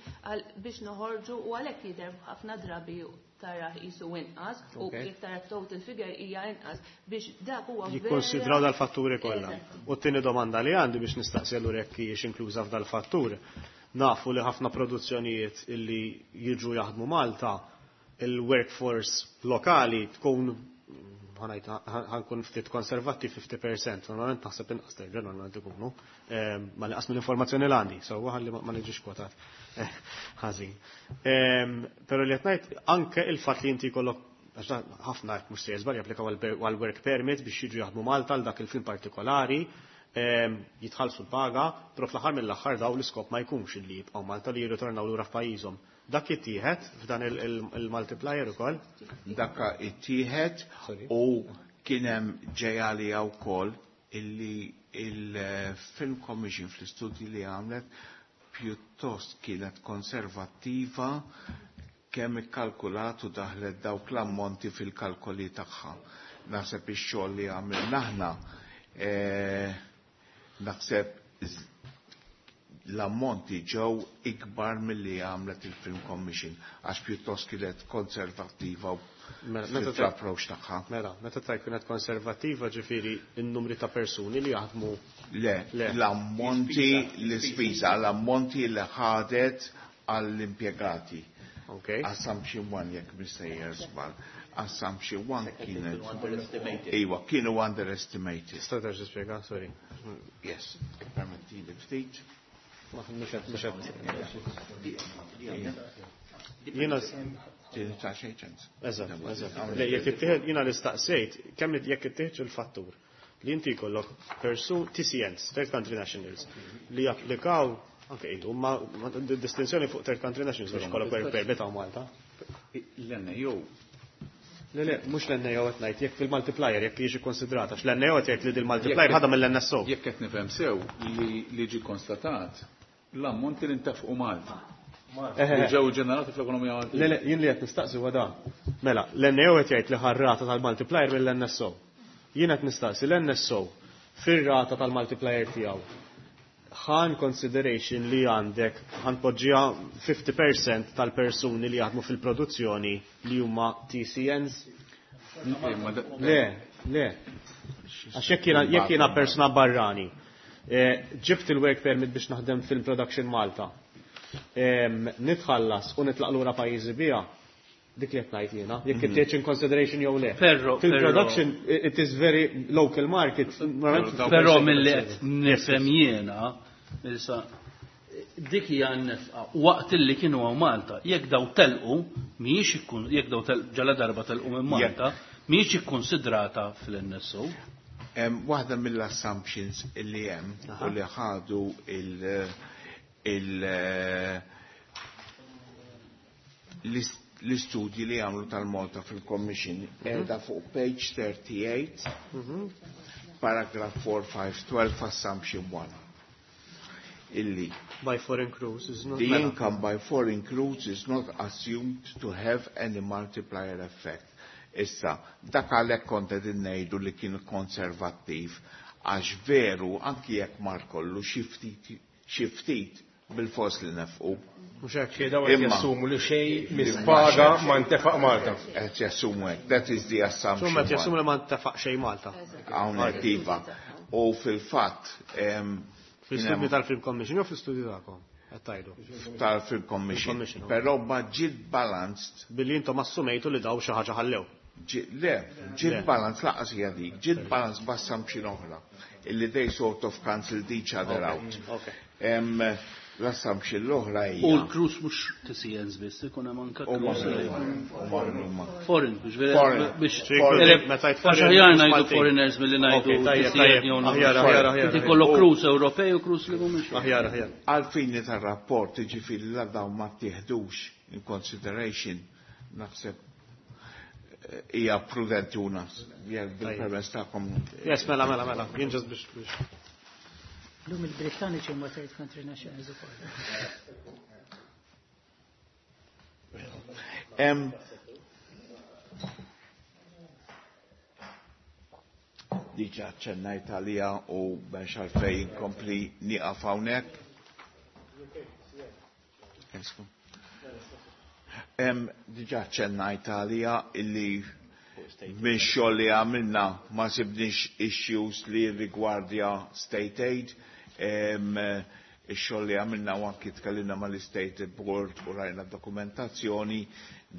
biex noħorġu u għalhekk jidher ħafna drabi tara jisu inqas u jekk tara total figure hija inqas biex dak huwa. Jikkonsidraw dal-fatturi kollha. U t-tieni domanda li għandi biex nistaqsi allura jekk hijiex inkluża f'dal-fattur. Nafu li ħafna produzzjonijiet illi jiġu jaħdmu Malta, il-workforce lokali tkun, ħa nkun ftit konservattiv, fifty percent, normalment naħseb inqas terġa' normalment ikunu, ma li qas mill-informazzjoni l għandi, so ħalli ma niġix kwotat ħażin. Però li qed ngħid anke il-fatt li inti jkollok, ħafna mhux se żball japplikaw għal work permit biex jiġu jaħdmu Malta għal dak il-film partikolari, jitħallsu l-paga, però fl-aħħar mill-aħħar daw l-iskop ma jkunx li jibqgħu Malta, li jirritornaw lura f'pajjiżhom. Dak jittieħed f'dan il-multiplier ukoll? Dak ittieħed u kien hemm ġejali wkoll illi il-Film Commission fl-istudji li għamlet pjuttost kienet konservattiva kemm ikkalkulat u daħlet dawk l-ammonti fil-kalkoli tagħha. Naħseb ix-xogħol li għamilna aħna, eh, naħseb l-ammonti ġew ikbar milli għamlet il-Film Commission għax pjuttost kienet konservattiva fl-approach tagħha. Mela, meta tajt kienet konservattiva, ġifieri n-numri ta' persuni li jaħdmu? Le, l-ammonti, l-ispiża, l-ammonti li ħadet għall-impjegati. Okay. Assumption one, jekk mistejjer żball. Assumption one kienet. Iwa, kienu underestimated. Tista' terġa' tispjega, sorry. Yes, permetti li ftit. Mhux Jiena ta' xejn ċens. Eżatt, eżatt. Le, jekk ittieħed, jiena l-istaqsejt, kemm jekk ittieħed il-fattur li inti jkollok persun T C Ns, Third Country Nationals, li japplikaw anke idu, ma distinzjoni fuq Third Country Nationals biex kollok work permit hawn Malta. L-N A O. Le, le, mhux l-N A O qed ngħid, jekk fil-multiplier, jekk jiġi konsidrata, għax l-N A O qed jgħid li dil-multiplier ħadha mill-N S O. Jekk qed nifhem sew li li ġi konstatat l-ammonti li ntefqu Malta. Li ġew ġenerati fl-ekonomija Maltija. Le, le, jien li qed nistaqsi huwa dan. Mela, l-N A O qed jgħid li ħa r-rata tal-multiplier mill-N S O. Jien qed nistaqsi l-N S O fir-rata tal-multiplier tiegħu ħa in consideration li għandek, ħa npoġġiha, fifty percent tal-persuni li jaħdmu fil-produzzjoni li huma T C Ns? Le, le. Għax jekk jiena jekk jiena persuna barrani, eh, ġibt il-work permit biex naħdem fil-production Malta, Em, Nitħallas u nitlaq lura pajjiżi bija, dik li qed ngħid jiena, jekk it in consideration jew le. Ferro, Fil-production it is very local market. Però mill-li qed nifhem jiena, issa dik hija n-nefqa waqt illi kienu hawn Malta. Jekk daw telqu, mhijiex ikkun jekk daw ġala darba telqu minn Malta, mhijiex ikkonsidrata fil-N S O. Hemm waħda mill-assumptions illi hemm u li ħadu il- il- l-istudji li għamlu tal-Malta Film Commission qiegħda fuq page thirty-eight, paragraph four five twelve, assumption one. Illi by foreign crews is not the income by foreign crews is not assumed to have any multiplier effect. Issa, dak għalhekk kont qed ngħidu li kien konservattiv, għax veru anki jekk mar kollu, xi ftit xi ftit bil-fors li nefqu. Mhux hekk. Daw qed jassumu li xejn mis-paga ma ntefaq Malta. Qed jassumu hekk. That is the assumption. Summa qed jassumu li ma ntefaq xejn Malta. Hawnhekk iva. U fil-fatt em, Fil-studju tal-Film Commission jew fil-studju tagħkom? Qed tgħidu. Tal-Film Commission. Commission, ok. Però ma ġiet balanced. Billi intom assumejtu li daw xi ħaġa ħallew. Ġi- Le, ġiet Le. balance laqas hija dik, ġiet balance b'assumption oħra. Illi they sort of cancelled each other out. Okay. Em, L-assumption l-oħra hija. U l-crews mhux T C Ns biss, ikun hemm anke U crews li ma- foreign, biex vera- Foreign. biex Foreign. Meta jgħid għax foreign, aħjar mhux ngħidu Maltin. foreigners milli ngħidu Ok, tajjeb, T C N tajjeb. jew Aħjar, aħjar, aħjar. Inti kollok crews Ewropej u crews li mhumiex. Aħjar, aħjar. Għal-fini tal-rapport, ġifieri la dawn ma tieħdux in consideration, naħseb hija prudenti u nas. Jekk bil-permess tagħkom. Yes, mela, mela, mela, jien ġast biex biex. Lum il-Brittaniċi huma third country nationals ukoll. Em, Diġa ċennajt għalija u biex għalfejn inkompli nieqaf hawnhekk. Esku. Em, Diġa ċennajt għalija illi minn xogħol li għamilna ma sibniex issues li rigwardja state aid. Em, Ix-xogħol li għamilna u anki tkellimna mal-State Board u rajna dokumentazzjoni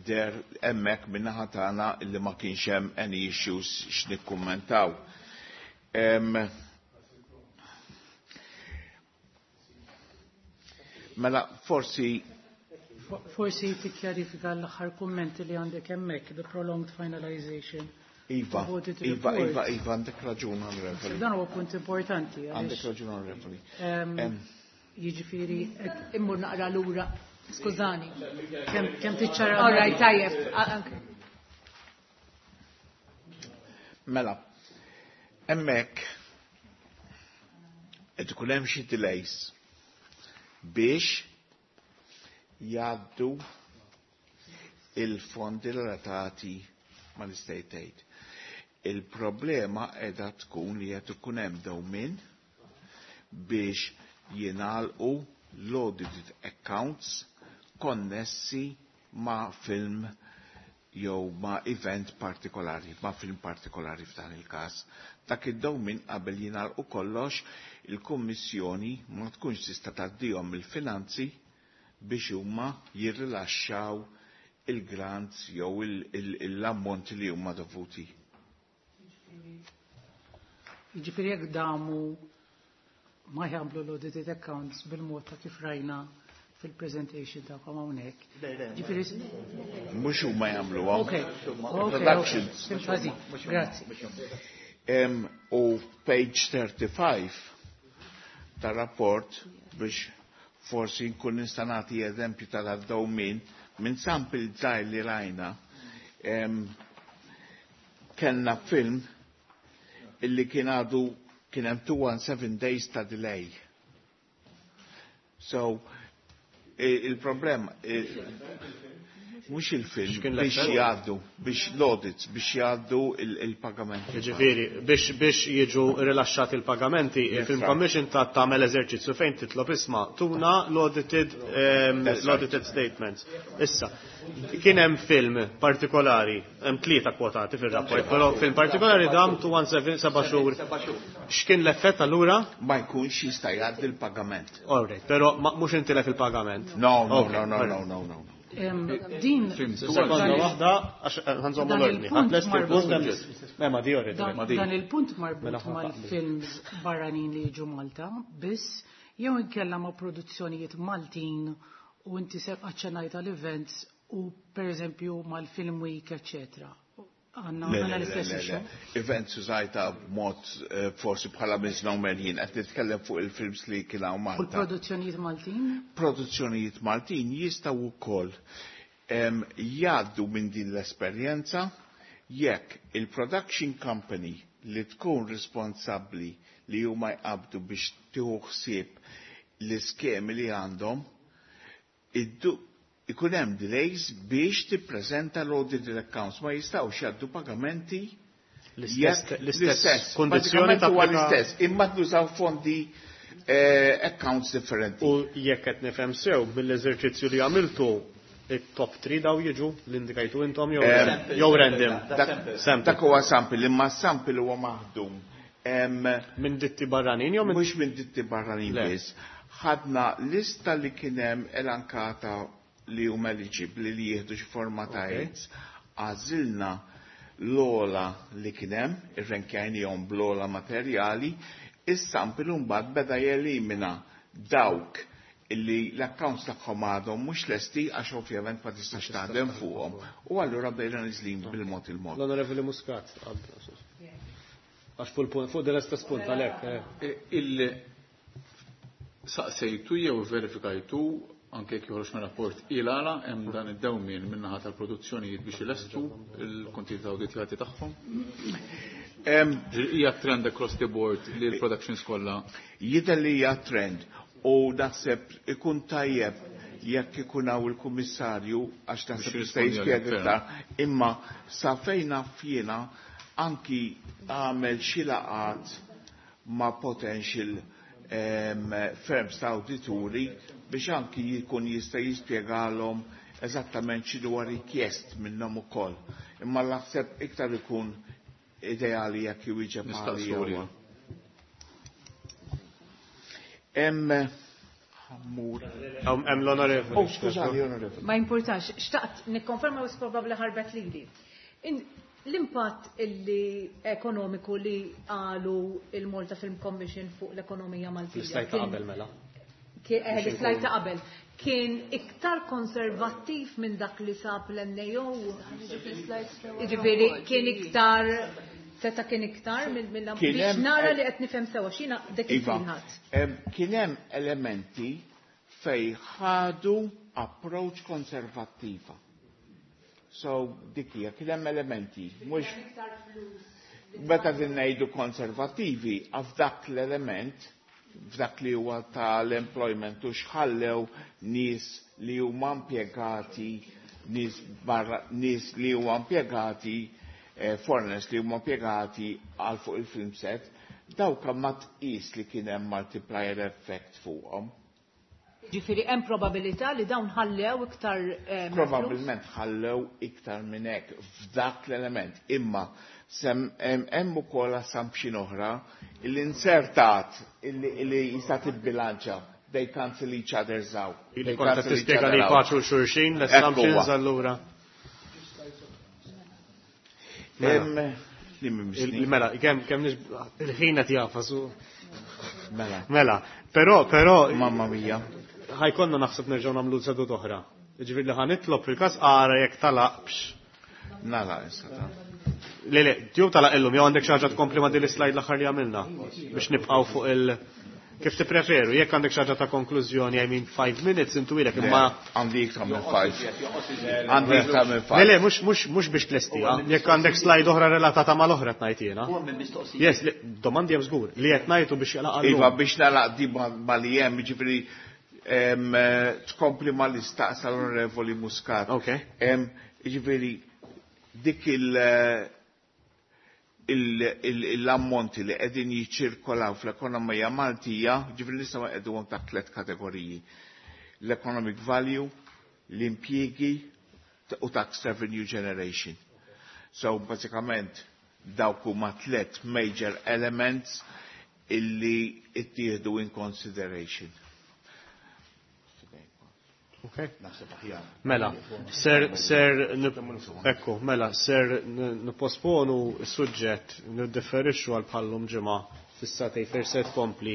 der hemmhekk min-naħa tagħna illi ma kienx hemm any issues x'nikkummentaw. Em, Mela forsi Forsi tikkjarifika l-aħħar kummenti li għandek hemmhekk, the prolonged finalization. Iva, of audit Iva, report. Iva, Iva, għandek raġun, onorevoli. Dan huwa punt importanti. għaliex, Għandek raġun, onorevoli. em, Em, Jiġifieri Immur naqra lura. Skużani. kemm kemm tiċċara. All right, tajjeb. Ah, okay. Mela, hemmhekk qed ikun hemm xi delays biex jgħaddu il-fondi relatati mal-state aid. Il-problema qiegħda tkun li qed ikun hemm dewmien biex jingħalqu l-audited accounts konnessi ma' film jew ma' event partikolari, ma' film partikolari f'dan il-każ. Dak id-dewmien qabel jingħalqu kollox, il-Kummissjoni ma tkunx tista' tgħaddihom il-finanzi biex huma jirrilaxxaw il-grants jew l-ammonti li huma dovuti. Jiġifieri jekk damu ma jagħmlu l-audited accounts bil-mod ta' kif rajna fil-presentation tagħkom hawnhekk. Ġifieri Mhux huma jagħmluha. Ok, ok, Productions. ok. Ħażin, Grazzi. Em, U page thirty-five ta' rapport biex forsi nkun nista' nagħti eżempju tal-dewmien minn sample żgħir li rajna. Em, Kellna film illi kien għadu kien hemm two one seven days ta' delay. So, i- il-problema i- mhux il-film X'kien biex l-effett? jgħaddu, biex l-audits, biex jgħaddu il- il-pagamenti. Ġifieri, biex biex jiġu rilaxxati il-pagamenti, il-Film right. Commission ta' tagħmel eżerċizzju fejn titlob isma' tuna l-audited ehm, That's right. l-audited statements. Issa, kien hemm film partikolari, hemm tlieta kwotati fir-rapport, però film partikolari dam two one seven seba' xhur. X'kien l-effett allura? Ma jkunx jista' jgħaddi l-pagament. All right, però ma- mhux intilef il-pagament. No, no, Okay, no, no, all right. no, no, no. Em, Din Sekonda waħda, għax ħanżommu Dan l-ordni. il-punt Ħadd lest il-punt marbut. hemm- Ma di already. Dan, dan il-punt marbut Mela ħa mal-films barranin li jiġu Malta, biss jew inkella ma' produzzjonijiet Maltin u inti se aċċennajt għal-events u per eżempju mal-Film Week, eccetera. Għanna Le, għanna le, le, l-istess le, le. issue. Events użajta b'mod eh, forsi bħala misnomer jien qed nitkellem fuq il-films li kien hawn U Malta. l-produzzjonijiet Maltin? Produzzjonijiet Maltin jistgħu wkoll em, jgħaddu minn din l-esperjenza jekk il-production company li tkun responsabbli li huma jqabdu biex tieħu ħsieb l-iskemi li għandhom iddu ikun hemm delays biex tippreżenta l-audited accounts, ma jistgħux jgħaddu pagamenti L-istess jekk l-istess kondizzjoni Bażikament huwa tapplika l-istess, imma tużaw fondi eh, accounts differenti. U jekk qed nifhem sew mill-eżerċizzju li għamiltu it-top three daw jiġu l-indikajtu intom jew Em, jew random. Dak Sample. dak huwa sample, imma sample huwa maħdum. Em, Minn ditti barranin jew minn Mhux minn ditti barranin Le. biss. Ħadna lista li kien hemm elenkata li huma eliġibbli li jieħdu xi forma ta' Ok. aids. Għażilna l-ola li kien hemm, irrenkjajnihom bl-ola materjali, is-sample mbagħad beda jelimina dawk illi l-accounts tagħhom għadhom mhux lesti għax ovvjament ma tistax taħdem fuqhom. U allura bdejna niżlin bil-mod il-mod. L-Onorevoli Muscat. Għax fuq il-punt, fuq dell-istess punt għalhekk. eh. Il saqsejtu jew verifikajtu anke jekk joħroġ mir-rapport il għala hemm dan id-dewmien min-naħa tal-produzzjonijiet biex ilestu il-kontijiet awditjati tagħhom? Hija trend across the board li l-productions kollha? Jidher li hija trend u naħseb ikun tajjeb jekk ikun hawn il-kummissarju għax naħseb jista' jispjega iktar, imma sa fejn naf jiena anki għamel xi laqgħat ma' potential um, firms ta' awdituri biex anki jkun jista' jispjegalhom eżattament x'inhu rikjest minnhom ukoll. Imma naħseb iktar ikun ideali jekk iwieġeb Nistaqsu. Hemm ħammur. Hemm l-onorevoli. Oh, skużani, onorevoli. Ma importax, xtaqt nikkonferma u probabbli ħarbet lili. L-impatt illi ekonomiku li qalu il-Malta Film Commission fuq l-ekonomija Maltija. L-islide ta' qabel mela. Eh, l-islide ta' qabel. Kien iktar konservattiv minn dak li sab l-N A O. Ġifieri kien iktar seta kien iktar mill biex nara li qed nifhem sewa x'jiena dak Iva, kien hemm elementi fej ħadu approach konservattiva. So dik hija kien hemm elementi, mhux meta din ngħidu konservattivi f'dak l-element, f'dak li huwa tal-employment u xħallew nies li huma impjegati, nies barra, nies li huma impjegati, eh, foreigners li huma impjegati għal fuq il-film set, dawk ma tqis li kien hemm multiplier effect fuqhom. Ġifieri hemm probabilità li dawn ħallew iktar eh, Probabbilment ħallew iktar minn hekk f'dak l-element. Imma hemm ukoll assumption oħra illi insertat illi jista' tibbilanċa. They cancel each other's out. Illi kont tispjega li paċu xulxin l-assumptions allura. Mela, kemm kemm il-ħin qed jafas. Mela. Mela, però però Mamma mia. Ħa jkollna naħseb nerġgħu nagħmlu sedut oħra. Ġifieri li ħa nitlob fil-każ ara jekk talaqx. Nala issa ta. Le le, jew talaq illum jew għandek xi ħaġa tkompli ma' din l-slide l-aħħar li għamilna biex nibqgħu fuq il- Kif tippreferu, jekk għandek xi ħaġa ta' konklużjoni, I mean five minutes intu ilek imma Għandi iktar minn five. Għandi iktar minn five. Le le, mhux mhux mhux biex tlestija. Jekk għandek slide oħra relatata mal-oħra tgħid jiena. Yes, domandi hemm żgur li qed ngħidu biex jalaq. Iva, biex nagħlaq di ma li hemm, jiġifieri tkompli ma li staqsa l-Onorevoli Muscat. Ok. Ġifieri dik il- l-ammonti li qegħdin jiċċirkolaw fl-ekonomija Maltija, ġifieri nistgħu qegħduhom ta' tliet kategoriji. L-economic value, l-impjiegi u tax revenue generation. So bażikament dawk huma tliet major elements illi ittieħdu in consideration. Okay. Mela, ser, ser, ekku, mela, ser nipposponu s-suġġett, niddeferixxu għal bħallum ġimgħa fis-satej fejn se tkompli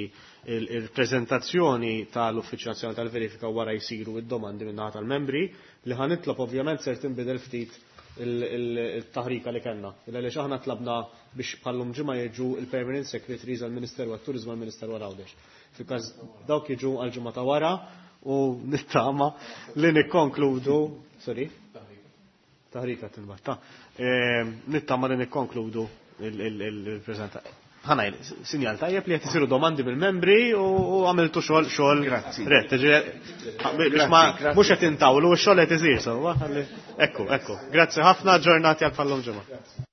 il-prezentazzjoni tal-Uffiċċju Nazzjonali tal-Verifika wara jsiru id-domandi minn tal-membri li ħa nitlob ovvjament ser tinbidel ftit il-taħrika li kellna. Illa li aħna tlabna biex bħallum ġimgħa jiġu il-Permanent Secretaries għall-Ministeru għat-Turiżmu, għall-Ministeru għal Għawdex. Fil-każ dawk jiġu għal-ġimgħa ta' wara u nittama li nikkonkludu, sorry, taħrika tinbatta, nittama li nikkonkludu il-prezenta. Ħanaj, sinjal tajjeb li qed isiru domandi mill-membri u għamiltu xogħol xogħol. Grazzi. Rett, biex ma mhux qed intawlu, x-xogħol qed isir sewwa. Ekku, ekku. Grazzi ħafna, ġurnati għal bħallum ġimgħa.